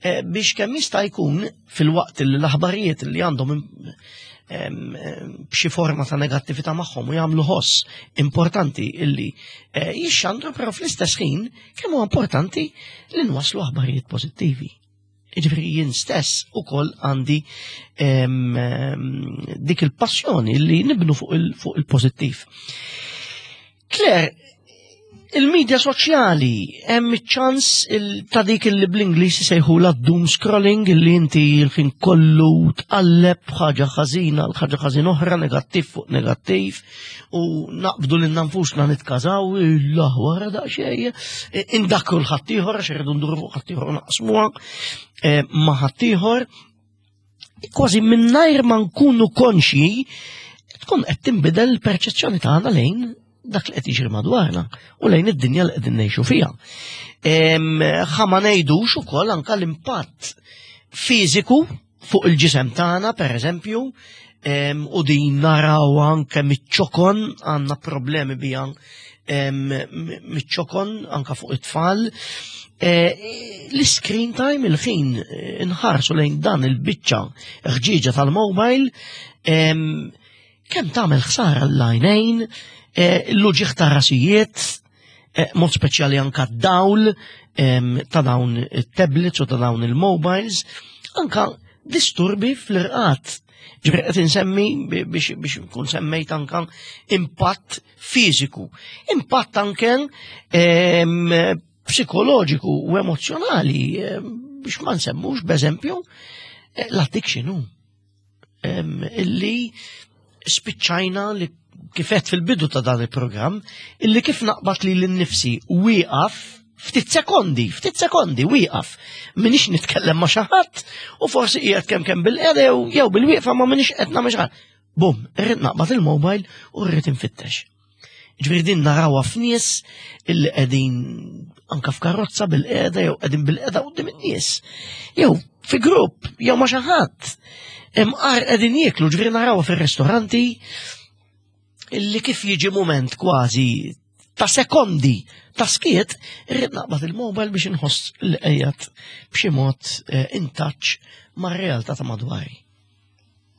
eh, biex kemm jista' jkun fil-waqt li l-aħbarijiet li għandhom em, em, b'xi forma ta' negattività magħhom u jagħmlu ħoss importanti illi eh, jixxandru, però fl-istess ħin kemm huwa importanti li nwasslu aħbarijiet pożittivi. Jiġifieri jien stess ukoll għandi em, em, dik il-passjoni li nibnu fuq il- fuq il-pożittiv. Claire, il-medja soċjali hemm iċ-ċans il- ta' dik li bl-Ingliż isejħula doom scrolling, illi inti l-ħin kollu tqalleb ħaġa ħażina l ħaġa ħażin oħra, negattiv fuq negattiv, u naqbdu lil nfusna nitkażaw illah wara daqsxejn, indakru l-ħaddieħor għax irridu nduru fuq ħaddieħor u naqsmuha eh, ma' ħaddieħor, kważi mingħajr ma nkunu konxji tkun qed tinbidel il-perċezzjoni tagħna lejn dak li qed jiġri madwarna u lejn id-dinja li qegħdin ngħixu fiha. Ħa ma ngħidux ukoll anke l-impatt fiżiku Fuq il-ġisem tagħna, per eżempju, u din naraw anke miċ-ċokon, għandna problemi biha miċ-ċokon anke fuq it-tfal. E, l-screen time, il-ħin inħarsu lejn dan il-biċċa ħġieġa tal-mobile, kemm tagħmel ħsara l-għajnejn, e, l-uġigħ ta' rasijiet, e, mod speċjali anka d-dawl ta' dawn it-tablets u ta' dawn il-mobiles, anka disturbi fl-irqad. Ġifieri qed insemmi biex biex nkun semmejt anka impatt fiżiku, impatt anke psikoloġiku u emozjonali, biex ma nsemmux b'eżempju l-addiction illi spiċċajna li kifet fil-bidu ta' dan il-programm, illi kif naqbad li l-nifsi wieqaf ftit sekondi, ftit sekondi, wieqaf. Minix nitkellem ma' xi ħadd u forsi qiegħed kemm kemm bil-qeda jew bil-wieqfa ma minix qed nagħmel xi ħadd. Bum, irrid naqbad il-mobile u rrid infittex. Ġifieri din narawha f'nies illi qegħdin anka f'karozza bil-qeda jew qegħdin bil-qeda quddiem in-nies. Jew fi grupp, jew ma' xi ħadd. Imqar qegħdin jieklu, ġifieri narawha fir-ristoranti illi kif jiġi moment kważi ta' sekondi ta' skiet, irrid naqbad il-mobile biex inħoss li qiegħed b'xi mod in touch mar-realtà ta' madwari.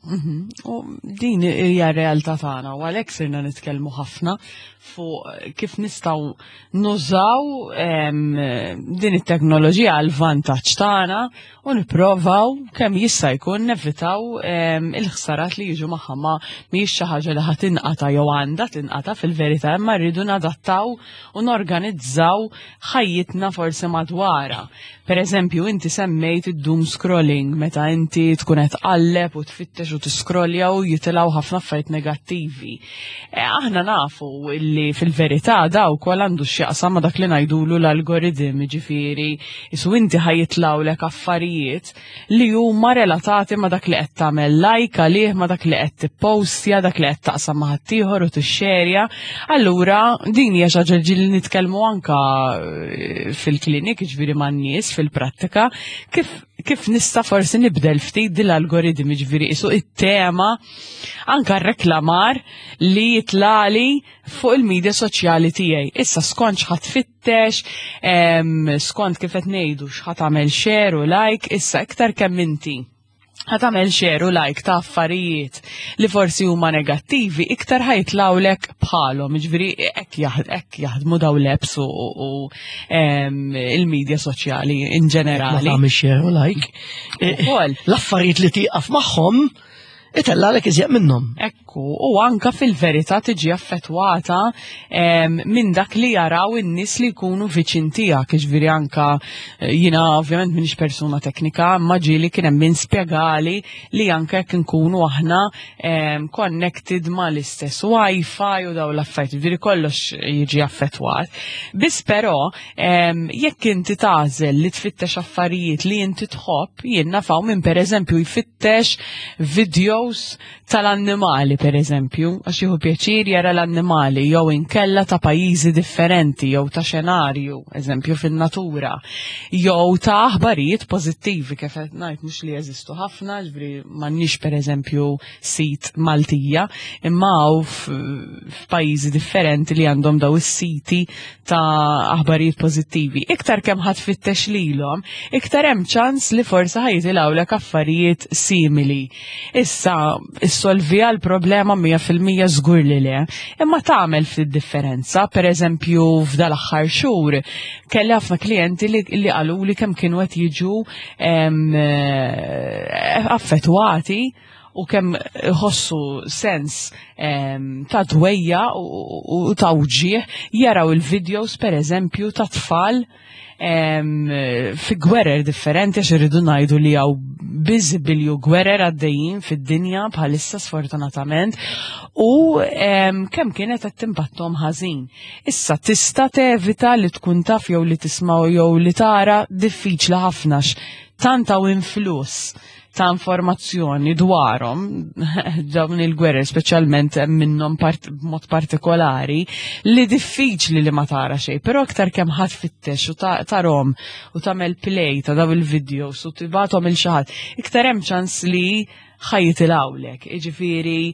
Mhm. U din hija realtà tagħna u għalhekk sirna nitkellmu ħafna fuq kif nistgħu nużaw din it-teknoloġija għal vantaġġ tagħna u nipprovaw kemm jista' jkun nevitaw il-ħsarat li jiġu magħha. Ma mhijiex xi ħaġa li ħa tinqata' jew għandha tinqata' fil-verità, imma rridu nadattaw u norganizzaw ħajjitna forsi madwarha. Per eżempju, inti semmejt id-doom scrolling, meta inti tkun qed tqalleb u tfittex u tiscrollja u jitilgħu ħafna affarijiet negattivi. E, aħna nafu illi fil-verità daw kol għandu x'jaqsam ma' dak li ngħidulu l-algoritm, ġifieri, isu inti ħa jitilgħulek affarijiet li huma relatati ma' dak li qed tagħmel like għalih, ma' dak li qed tippostja, dak li qed taqsam ma' ħaddieħor u tixxerja. Allura din hija xi ħaġa li nitkellmu anka eh, fil-klinik, ġifieri man-nies fil-prattika, kif kif nista' forsi nibdel ftit din l-algoritmi, ġifieri isu it-tema anka reklamar li jitlali fuq il-medja soċjali tiegħi. Issa skont x'ħa tfittex, skont kif qed ngħidu x'ħa tagħmel share u like, issa iktar kemm inti ħa tagħmel share u like ta' affarijiet li forsi huma negattivi, iktar ħa jitilgħulek bħalhom, ġifieri hekk jaħdmu daw l-apps u, u il-medja soċjali in ġenerali.
Ma tagħmel share u like.
Ukoll.
L-affarijiet li tieqaf magħhom itellgħalek iżjed minnhom.
Ekku, u anka fil-verità tiġi affettwata minn dak li jaraw in-nies li jkunu viċin tiegħek, jiġifieri anka eh, jiena ovvjament m'iniex persuna teknika, ma ġieli kien hemm min spjegali li anka jekk nkunu aħna connected ma l-istess Wi-Fi u daw l-affarijiet, jiġifieri kollox jiġi affettwat. Biss però jekk inti tagħżel li tfittex affarijiet li inti tħobb, jien naf hawn min pereżempju jfittex videos tal-annimali per eżempju, għax jieħu pjaċir jara l-annimali, jew inkella ta' pajjiżi differenti, jew ta' xenarju, eżempju fin-natura, jew ta' aħbarijiet pożittivi, kif qed ngħid mhux li jeżistu ħafna, ġifieri m'għandniex per eżempju sit Maltija, imma hawn f'pajjiżi differenti li għandhom daw is-siti ta' aħbarijiet pożittivi. Iktar kemm ħa tfittex lilhom, iktar hemm ċans li forsi ħa jitilgħulek affarijiet simili. Issa, issolvija l-problema mija fil-mija żgur li le, imma tagħmel ftit differenza. Per eżempju, f'dal-aħħar xhur kelli ħafna klijenti li, li qalu li kemm kienu qed jiġu em, eh, affettwati u kemm ħossu sens em, ta' dwejja u, u, u ta' uġieħ jaraw il-videos per eżempju ta' tfal em, fi gwerer differenti, għax irridu ngħidu li hawn biżibilju gwerer għaddejjin fid-dinja bħalissa sfortunatament u em, kemm kienet qed timpattom ħażin. Issa tista' tevita li tkun taf jew li tisma' jew li tara, diffiċli ħafna tant hawn influss ta' informazzjoni dwarhom dawn il-gwerer, speċjalment minnhom part, b'mod partikolari, li diffiċli li ma tara xejn, però aktar kemm ħadd fittex u tarahom u tagħmel play ta' daw il-videos u tibgħathom lil xi ħadd, iktar hemm ċans li ħa jitilgħulek. Iġifieri,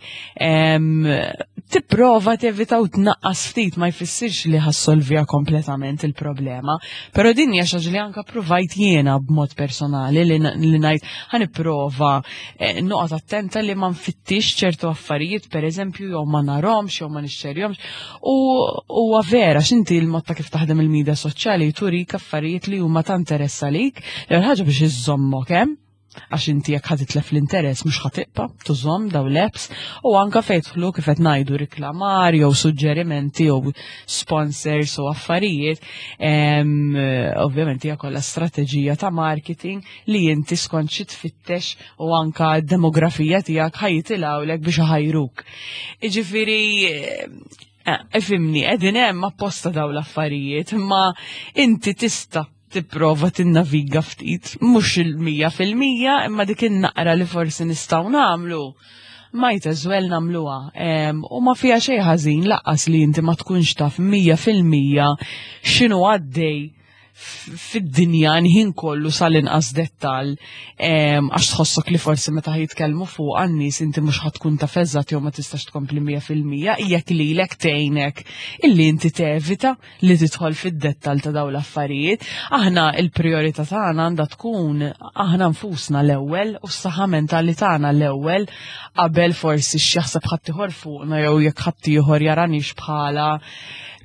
tipprova tevita u tnaqqas ftit, ma jfissirx li ħa ssolviha kompletament il-problema. Però din hija xi ħaġa li anka provajt jiena b'mod personali li ngħid ħa nipprova eh, noqgħod attenta li ma nfittix ċertu affarijiet, pereżempju, jew ma narahomx jew ma nixxerjahomx. U huwa vera x'inti l-mod ta' kif taħdem il-medja soċjali turik affarijiet li huma ta' interess għalik, l ħaġa biex iżommok hemm, għax inti jekk ħa titlef l-interess mhux ħa tibqa' tużahom daw l-apps, u anka fejn jidħlu, kif qed ngħidu, riklamar jew suġġerimenti jew sponsors u affarijiet, ovvjament hija kollha strateġija ta' marketing li inti skont xi tfittex u anka d-demografija tiegħek ħa jitilgħulek biex iħajruk. Iġifieri, eh, ifhimni, qegħdin hemm apposta daw l-affarijiet, imma inti tista' tipprova tinnaviga ftit, mhux il-mija fil-mija, imma dik in-naqra li forsi nistgħu nagħmlu, might as well nagħmluha. U ma fiha xejn ħażin lanqas li inti ma tkunx taf mija fil-mija x'inhu għaddej fid-dinja nħin kollu sal-inqas dettal, għax tħossok li forsi meta jitkellmu fuq għan-nies inti mhux ħa tkun taf eżatt jew ma tistax tkompli mija fil-mija, jekk lilek tgħinek illi inti tevita li tidħol fid-dettal ta' dawn l-affarijiet. Aħna il-priorità tagħna għandha tkun aħna nfusna l-ewwel u s-saħħa mentali tagħna l-ewwel, qabel forsi x'jaħseb ħaddieħor fuqna jew jekk ħaddieħor jaranix bħala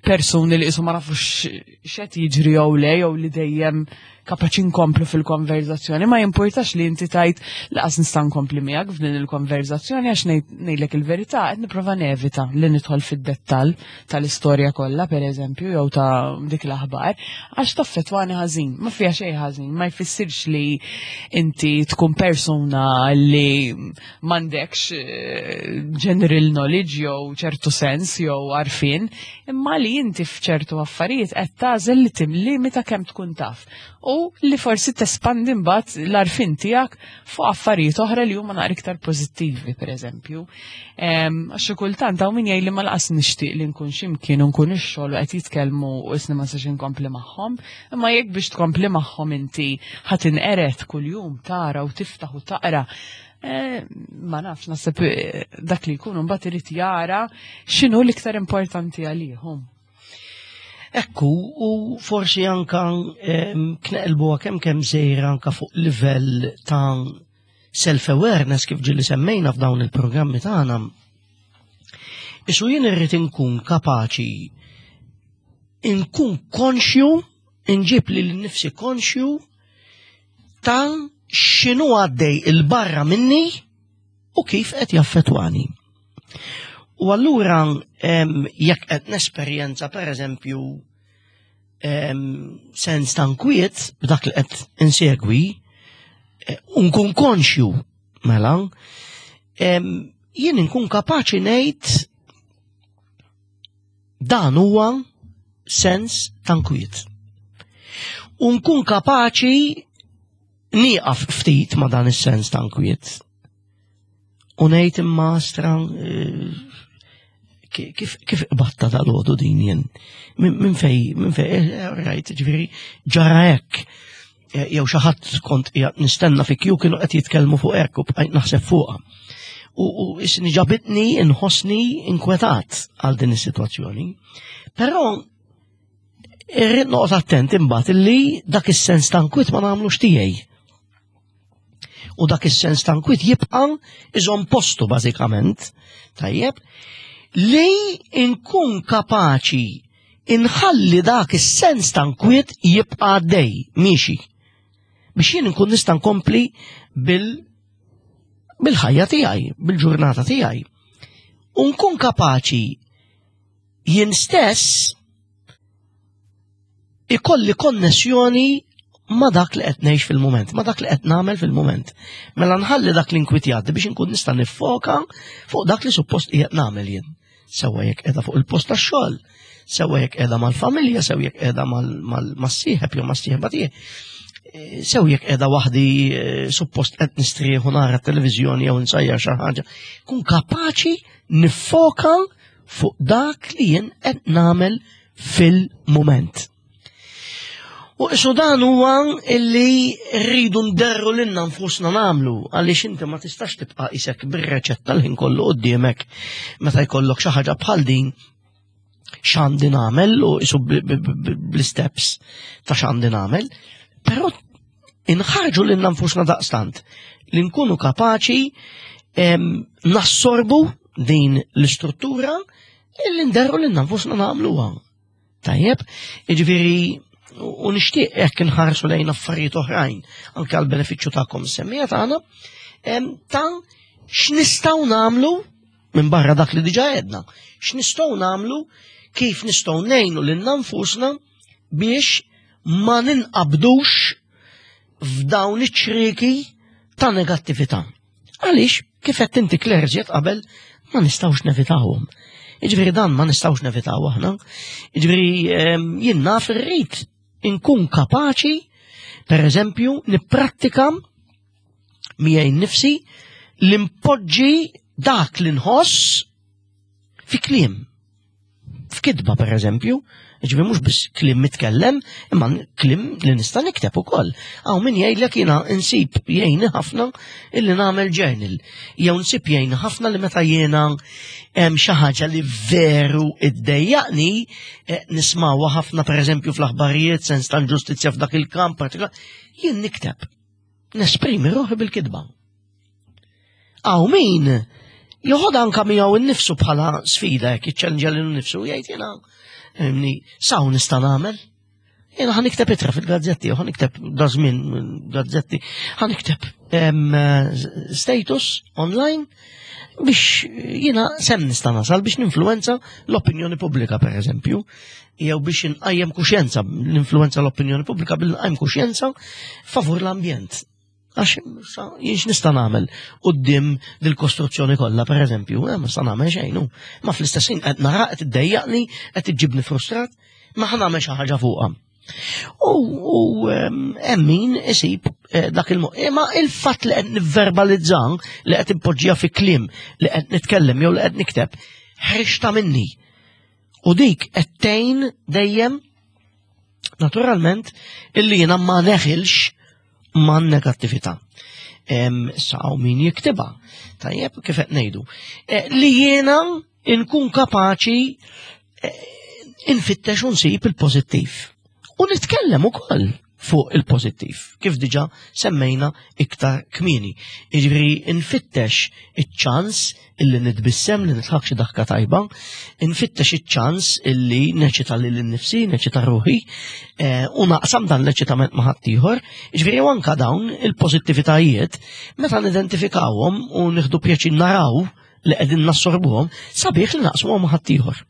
persuni li qisu ma nafux x'qed jiġri jew le, jew li dejjem kapaċi nkomplu fil-konverzazzjoni. Ma jimpurtax li inti tgħid, "Lanqas nista' nkompli miegħek f'din il-konverzazzjoni għax ngħidlek il-verità, qed nipprova nevita li nidħol fid-dettall tal-istorja kollha, pereżempju, jew ta' dik l-aħbar għax taffettwani ħażin." Ma fiha xejn ħażin, ma jfissirx li inti tkun persuna li m'għandekx eh, general knowledge jew ċertu sens jew għarfien, imma li inti f'ċertu affarijiet qed tagħżel li timlimita kemm tkun taf u li forsi tespandi mbagħad l-għarfien tiegħek fuq affarijiet oħra li huma naqra iktar pożittivi, pereżempju. Għax xi kultant hawn min jgħid li ma lanqas nixtieq li nkun x'imkien u nkun ix-xogħol u qed jitkellmu u isni ma sax inkompli magħhom, imma jekk biex tkompli magħhom inti ħa tinqered kuljum tara u tiftaħ u taqra, Eh, ma nafx, naħseb eh, dak li jkun mbagħad irid jara x'inhu l-iktar importanti għalihom.
Ekku, u forsi anka kneqlbuha kemm kemm sejra anka fuq livell ta' self-awareness, kif ġieli semmejna f'dawn il-programmi tagħna. Isu jien irrid inkun kapaċi inkun konxju, inġib lili nnifsi konxju ta' x'inhu għaddej il-barra minni u kif qed jaffettwani. U allura jekk qed nesperjenza, per eżempju, sens ta' nkwiet b'dak li qed insegwi, eh, u nkun konxju mela, jien nkun kapaċi ngħid, "Dan huwa sens ta' nkwiet." U nkun kapaċi nieqaf ftit ma' dan is-sens ta' nkwiet. U ngħid, "Imma stra, eh, kif kif batta dal-għodu din jien? Minn fej, minn fej, eh, rajt, ġifieri, ġara hekk. Eh, jew xi ħadd kont qiegħed nistenna fi kju, kienu qed jitkellmu fuq hekk u bqajt naħseb fuqha. U, u isni ġabitni inħossni inkwetat għal din is-sitwazzjoni." Però irrid noqgħod attent imbagħad illi dak is-sens ta' nkwiet ma nagħmlux tiegħi. U dak is-sens ta' nkwiet jibqa' iżomm postu bażikament, tajjeb, li nkun kapaċi inħalli dak is-sens ta' nkwiet jibqa' għaddej, miexi. Biex jien nkun nista' nkompli bil bil-ħajja tiegħi, bil-ġurnata tiegħi. U nkun kapaċi jien stess ikolli konnessjoni ma dak li qed ngħix fil-mument, ma dak li qed nagħmel fil-mument. Mela nħalli dak l-inkwiet jgħaddi biex inkun nista' niffoka fuq dak li suppost qiegħed nagħmel jien. Sewwa jekk qiegħda fuq il-post tax-xogħol, sewwa jekk qiegħda mal-familja, sew jekk qiegħda mas-sieħeb jew mas-sieħba tiegħi. eh, sew jekk qiegħda waħdi eh, suppost qed nistrieħu nara t-televiżjoni jew nsajjar xi ħaġa, kun kapaċi niffoka fuq dak li jien qed nagħmel fil-mument. U isu dan huwa illi rridu nderru lilna nfusna nagħmlu, għaliex inti ma tistax tibqa' isek bir-reċetta l-ħin kollu quddiemek meta jkollok xi ħaġa bħal din, x'għandi nagħmel, u isu bl-steps ta' x'għandi nagħmel, però inħarġu lilna nfusna daqstant li nkunu kapaċi nassorbu din l-istruttura illi nderru lilna nfusna nagħmluha. Tajjeb, jiġifieri u nixtieq hekk inħarsu lejn affarijiet oħrajn anke għal benefiċċju tagħkom semmija tagħna ta' x'nistgħu nagħmlu minn barra dak li diġà għedna. X'nistgħu nagħmlu, kif nistgħu ngħinu lil nfusna biex ma ninqabdux f'dawn iċ-ċrieki ta' negattività. Għaliex, kif qed inti, Claire, qabel, ma nistgħux nevitawhom. Jiġifieri dan ma nistgħux nevitaw aħna. Jiġifieri jien naf irrid inkun kapaċi, per eżempju, nipprattika miegħi nnifsi li npoġġi dak li nħoss fi kliem. F'kitba, per eżempju, ġifieri mhux biss kliem mitkellem, imma kliem li nista' nikteb ukoll. Hawn min jgħidlek jiena insib jgħinni ħafna illi nagħmel journal. Jew nsib jgħinni ħafna li meta jiena hemm xi ħaġa li veru iddejjaqni, eh, nismawha ħafna, per eżempju, fl-aħbarijiet, sens ta' ġustizzja f'dak il-kamp partikolar, jien nikteb. Nesprimi ruħi bil-kitba. Hawn min joħod anka miegħu innifsu bħala sfida, jekk jiċċellenġa lilu nnifsu, jgħid jiena imni saw nista' nagħmel. Jiena ħa nikteb ittra fil-gazzetti, ħa nikteb dażmin gazzetti, ħa nikteb status online biex jiena sem nista' nasal biex ninfluenza l-opinjoni pubblika, per eżempju, jew biex inqajjem kuxjenza, l-influenza l-opinjoni pubblika bil nqajjem kuxjenza favur l-ambjent. Għax jien x'nista' nagħmel quddiem dil-kostruzzjoni kollha, per eżempju, eh, ma nista' nagħmel xejn. Ma fl-istess ħin qed nara qed iddejjaqni, qed iġġibni frustrat, ma ħa nagħmel xi ħaġa fuqha. U hemm min isib eh, dak il Imma il-fatt li qed nivverbalizza, li qed impoġġija fi kliem, li qed nitkellem jew li qed nikteb, ħriġta minni. U dik qed tgħin dejjem naturalment illi jiena ma neħilx ma' negattività. Issa hawn min jiktibha. Tajjeb, kif qed ngħidu. Eh, li jiena nkun kapaċi eh, infittex u nsib il-pożittiv. U nitkellem ukoll fuq il-pożittiv, kif diġà semmejna iktar kmieni. Jiġifieri nfittex iċ-ċans illi nitbissem, li nidħak xi daħka tajba, nfittex iċ-ċans illi neċita lil nifsi, neċita ruħi, eh, u naqsam dan l-eċitament ma' ħaddieħor. Jiġifieri anka dawn il-pożittivitajiet, meta nidentifikawhom u nieħdu pjaċir naraw li qegħdin nassorbuhom, sabiħ li naqsmuhom ma' ħaddieħor.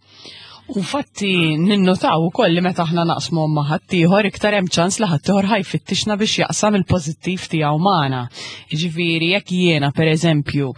U fatti ninnotaw ukoll li meta aħna naqsmu ma' ħaddieħor, iktar hemm ċans li ħaddieħor ħa jfittixna biex jaqsam il-pożittiv tiegħu magħna. Jiġifieri jekk jiena, pereżempju,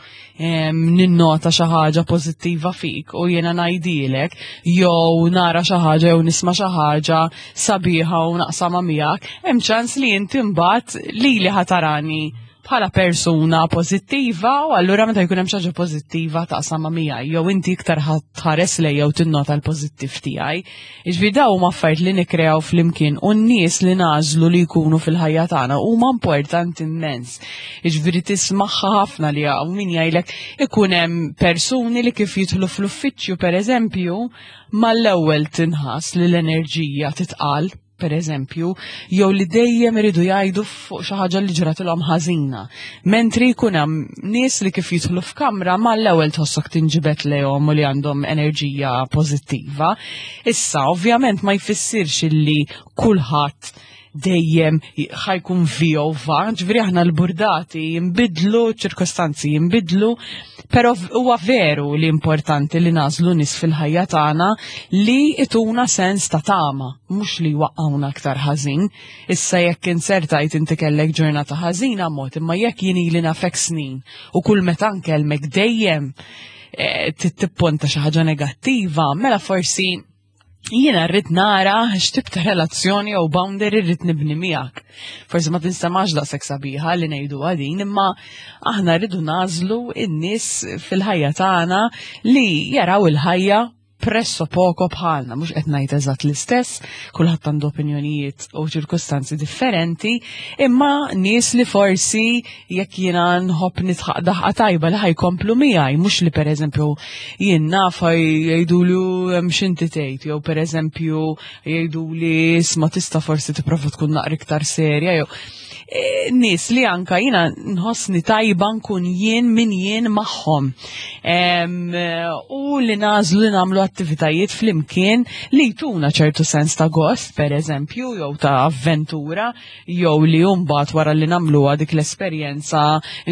ninnota xi ħaġa pożittiva fik u jiena ngħidilek, jew nara xi ħaġa jew nisma' xi ħaġa sabiħa u naqsamha miegħek, hemm ċans li inti mbagħad lili ħa tarani bħala persuna pożittiva u allura meta jkun hemm xi ħaġa pożittiva taqsamha miegħi jew inti iktar tħares lej jew tinnota l-pożittiv tiegħi. Jiġifieri dawn huma affarijiet li nikkreaw flimkien u n-nies li nagħżlu li jkunu fil-ħajja tagħna huma importanti immens. Jiġifieri tismagħha ħafna li hawn min jgħidlek ikun hemm persuni li kif jidħlu fl-uffiċċju, pereżempju, mal-ewwel tinħass li l-enerġija titqal, per eżempju, jew li dejjem iridu jgħidu fuq xi ħaġa li ġratilhom ħażina. Mentri jkun hemm nies li kif jidħlu f'kamra mal-ewwel tħossok tinġibed lejhom u li għandhom enerġija pożittiva. Issa, ovvjament, ma jfissirx illi kulħadd dejjem ħa jkun vjova, ġifieri aħna l-burdati jimbidlu, ċirkostanzi jimbidlu, pero huwa veru li importanti li nagħżlu nies fil-ħajja tagħna li ituna sens ta' tama, mhux li waqqawna aktar ħażin. Issa jekk insertajt inti kellek ġurnata ħażina mod, imma jekk jien ili nafek snin u kull meta nkellmek dejjem eh, tipponta xi ħaġa negattiva, mela forsi Jiena rrid nara x'tip ta' relazzjoni jew boundary rrid nibni miegħek. Forsi ma tinstemax daqshekk sabiħa li ngħidu din, imma aħna rridu nagħżlu in-nies fil-ħajja tagħna li jaraw il-ħajja presso poco bħalna, mhux qed ngħid eżatt l-istess, kulħadd għandu opinjonijiet u ċirkustanzi differenti, imma nies li forsi jekk jiena nħobb nidħaq daħqa tajba li ħa jkomplu miegħi, mhux li pereżempju jien naf jgħidulu hemm x'inti tgħid, jew pereżempju jgħiduli isma' tista' forsi tipprova tkun naqra iktar serja jew e, nies li anka jiena nħossni tajba nkun jien min jien magħhom. Em, U li nagħżlu li nagħmlu attivitajiet flimkien li jtuna ċertu sens ta' gost, per eżempju, jew ta' avventura, jew li mbagħad wara li nagħmluha dik l-esperjenza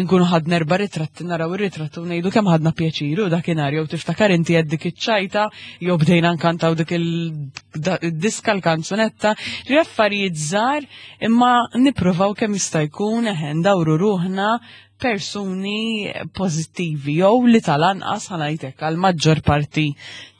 nkunu ħadna erba' ritratti, naraw ir-ritratti u ngħidu kemm ħadna pjaċiru dakinhar, jew tiftakar inti għed dik iċ-ċajta, jew bdejna nkantaw dik il-diska l-kanzunetta, li affarijiet żgħar imma nippruvaw kemm jista' jkun eħe ndawru ruħna persuni pożittivi jew li tal-anqas, ħa ngħidlek, għal maġġor parti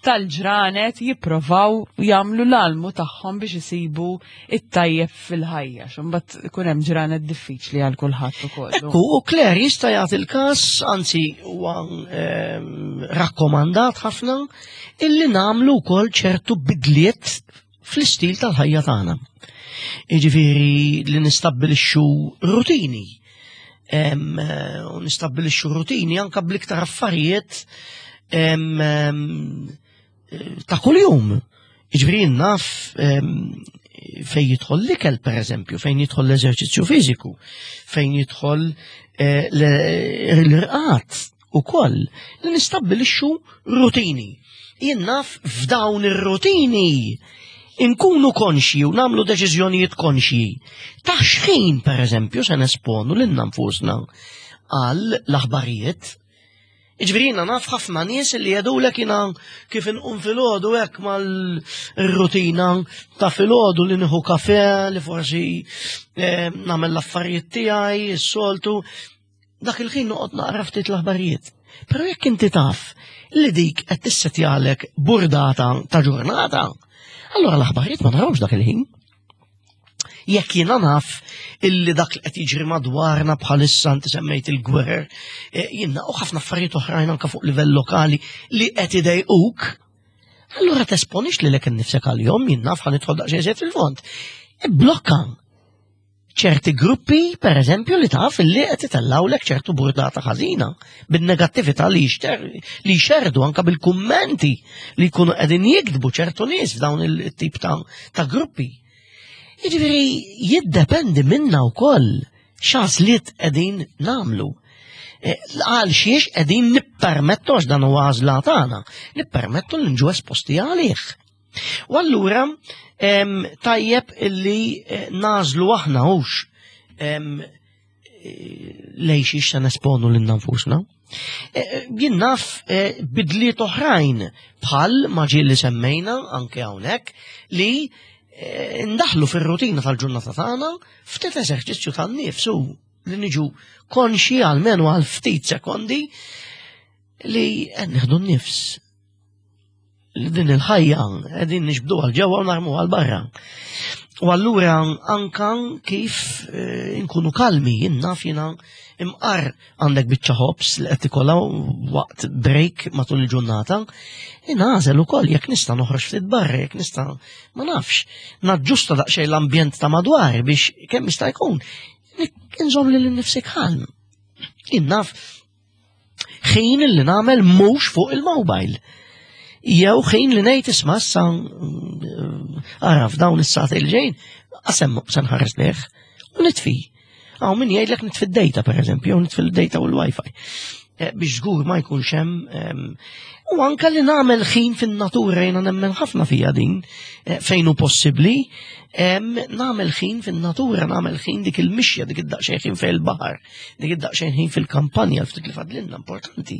tal-ġranet jipprovaw jagħmlu l-almu tagħhom biex isibu it-tajjeb fil-ħajja. Imbagħad ikun hemm ġranet diffiċli għal kulħadd ukoll.
Ekku, u Claire, jista' jagħti il-każ, anzi huwa ehm, rakkomandat ħafna illi nagħmlu wkoll ċertu bidliet fl-istil tal-ħajja tagħna. Jiġifieri li nistabbilixxu rutini. Em, eh, U nistabbilixxu rutini anka bl-iktar affarijiet em, em, ta' kuljum. Jiġifieri naf em, fejn jidħol l-ikel, per eżempju, fejn jidħol l-eżerċizzju fiżiku, fejn jidħol eh, l- l-irqad ukoll, li nistabbilixxu rutini. Jien naf f'dawn ir-rutini inkunu konxji u nagħmlu deċiżjonijiet konxji. Ta' xħin, per eżempju, se nesponu lil nfusna għal l-aħbarijiet. Jiġifieri jiena naf ħafna nies li jgħidulek jiena kif inqum filgħodu hekk mal-rutina ta' filgħodu li nieħu kafe, li forsi eh, nagħmel l-affarijiet tiegħi, s-soltu. Dak il-ħin noqgħod naqra ftit l-aħbarijiet. Però jekk inti taf li dik qed tissetjalek burdata ta' ġurnata, allura l-aħbarijiet ma narawx dak il-ħin. Jekk jiena naf illi dak li qed jiġri madwarna bħalissa, inti semmejt il-gwerer, eh, jiena u ħafna affarijiet oħrajn anke fuq livell lokali li qed idejquk, allura tesponix lilek innifsek għalihom. Jien naf, ħa nidħol daqsxejn iżjed fil-fond. Blokka ċerti gruppi, per eżempju, li taf li qed itellawlek ċertu burdata ħażina bin-negattività li jixter li jxerdu anka bil-kummenti li jkunu qegħdin jiktbu ċertu nies f'dawn il-tip ta', ta' gruppi. Jiġifieri jiddependi minna wkoll x'għażliet qegħdin nagħmlu. Eh, Għal xiex qegħdin nippermettu, għax dan huwa għażla tagħna, nippermettu li nġu esposti għalih. U allura em, tajjeb illi eh, nagħżlu aħna hux em, eh, lejn xiex se nesponu lil nfusna. Eh, Jien naf eh, bidliet oħrajn bħal ma ġie li semmejna anke hawnhekk li eh, ndaħlu fir-rutina tal-ġurnata tagħna ftit eżerċizzju tan-nifsu, li niġu konxi għalmenu għal ftit sekondi li qed nieħdu n-nifs, li din il-ħajja qegħdin niġbdu għal ġewwa u narmu għal barra. U allura anka kif eh, nkunu kalmi, jien naf jiena imqar għandek biċċa ħobż li qed tikolha waqt break matul il-ġurnata, nagħżel ukoll jekk nista' noħroġ ftit barra, jekk nista', ma nafx, naġġusta daqsxejn l-ambjent ta' madwar biex kemm jista' jkun inżomm lil nifsi kalm. Jien naf ħin li nagħmel mhux fuq il-mobile. Jew ħin li ngħid isma' issa ara f'dawn is-sagħtejn li ġejjin qasem se nħares lejh u nitfi. Hawn min jgħidlek nitfi d-data, per eżempju, jew nitfi d-data u l-Wi-Fi. Eh, Biex żgur ma jkunx hemm em, u anka li nagħmel ħin fin-natura, jiena nemmen ħafna fija din, eh, fejn hu possibbli, em, nagħmel ħin fin-natura, nagħmel ħin dik il-mixja, dik id-daqsxejn ħin fejn il-baħar, dik id-daqsxejn ħin fil-kampanja, ftit li fadlilna importanti.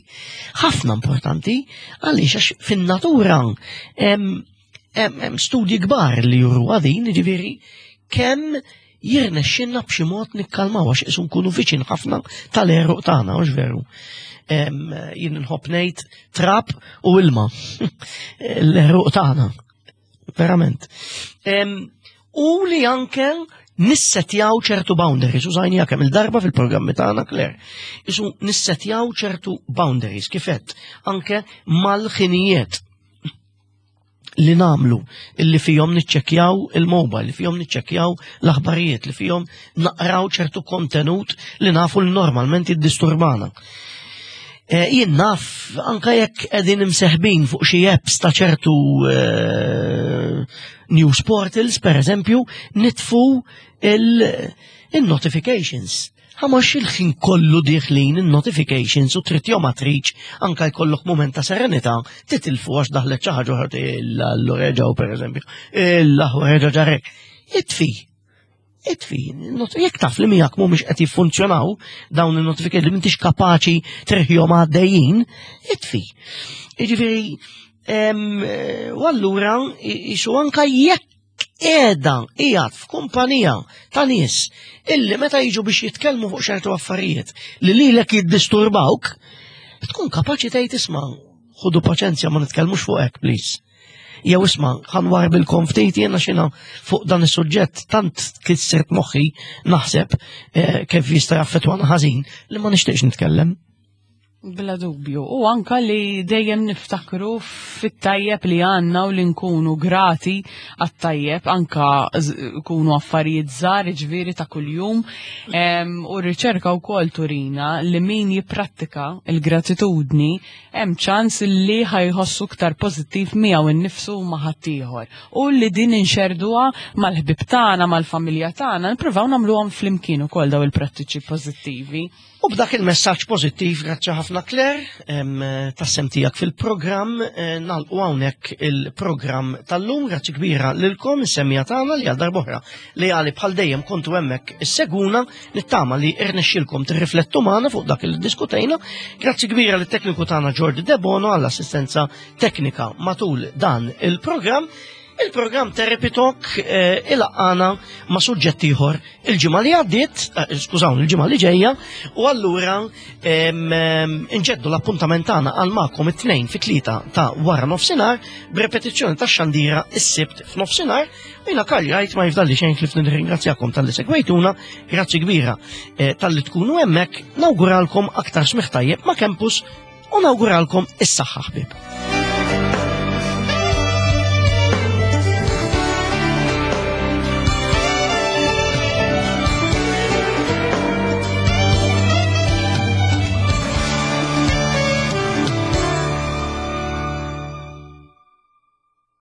Ħafna importanti, għaliex għax fin-natura em, hemm hemm studji kbar li juru din, ġifieri kemm jirnexxinna b'xi mod nikkalmaw għax isu nkunu viċin ħafna tal-għeruq tagħna, hux veru? Em, Jien nħobb ngħid trab u ilma. L-għeruq tagħna. Verament. Em, U li anke nissetjaw ċertu boundaries, użajnieha kemm il-darba fil-programmi tagħna, Claire. Isu nissetjaw ċertu boundaries, kifet, anke mal-ħinijiet li namlu, illi fihom niċċekkjaw il-mobile, li fihom niċċekkjaw l-aħbarijiet, li fihom naqraw ċertu kontenut li nafu li normalment jiddisturbana. Eh, Jien naf, anka jekk qegħdin imseħbin fuq xi apps ta' ċertu eh, news portals, per eżempju, nitfu il-notifications. Għax il-ħin kollu dieħlin il-notifications u trid jew ma tridx, anka jkollok moment ta' serenità, titilfu għax daħlet xi ħaġa oħra, l-reġaw per eżempju, il-reġa ġarek. Itfi, itfi, not- jekk taf li miegħek mhumiex qed jiffunzjonaw dawn il-notifications, li m'intix kapaċi treħjhom għaddejjin, itfi. Jiġifieri, em, eh, u allura isu anka jekk qiegħda qiegħed f'kumpanija ta' nies illi meta jiġu biex jitkellmu fuq ċertu affarijiet li lilek jiddisturbawk, tkun kapaċi tgħid, "Isma', ħudu paċenzja, ma nitkellmux fuq hekk, please." Jew, "Isma', ħa nwarrbilkom ftit jiena xina fuq dan is-suġġett tant kissirt moħħi naħseb eh, kif jista' jaffettwana ħażin li ma nixtieqx nitkellem."
Bla dubju. U anka li dejjem niftakru fit-tajjeb li għandna u li nkunu grati għat-tajjeb, anka kunu affarijiet żgħar, ġifieri ta' kuljum. Em, U r-riċerka wkoll turina li min jipprattika il-gratitudni hemm ċans li ħa jħossu iktar pożittiv miegħu innifsu u ma' ħaddieħor. U li din inxerduha mal-ħbib tagħna, mal-familja tagħna, nippruvaw nagħmluhom flimkien ukoll daw il-prattiċi pożittivi.
U b'dak il-messaġġ pożittiv, grazzi ħafna, Claire, em, tas-sehem tiegħek fil-programm, eh, nagħlqu hawnhekk il-programm tal-lum. Grazzi kbira lilkom is-semmiegħa tagħna li għal darb'oħra li għali bħal dejjem kontu hemmhekk issegwuna, nittama li irnexxilkom tirriflettu magħna fuq dak li diskutejna. Grazzi kbira lit-tekniku tagħna Jordi Debono għall-assistenza teknika matul dan il-programm. Il-programm Therapy Talk eh, ilaqqana ma' suġġett ieħor il-ġimgħa li għaddiet, eh, skużawni, il-ġimgħa li ġejja, u allura em, em, inġeddu l-appuntament tagħna għal magħkom it-tnejn fi tlieta ta' wara nofsinhar b'repetizzjoni tax-xandira is-Sibt f'nofsinhar. U jiena Karl Wright ma jifdalli xejn ħlief nirringrazzjakom talli segwejtuna, grazzi kbira eh, talli tkunu hemmhekk, nawguralkom aktar smigħ tajjeb ma' Campus u nawguralkom is-saħħa, ħbieb.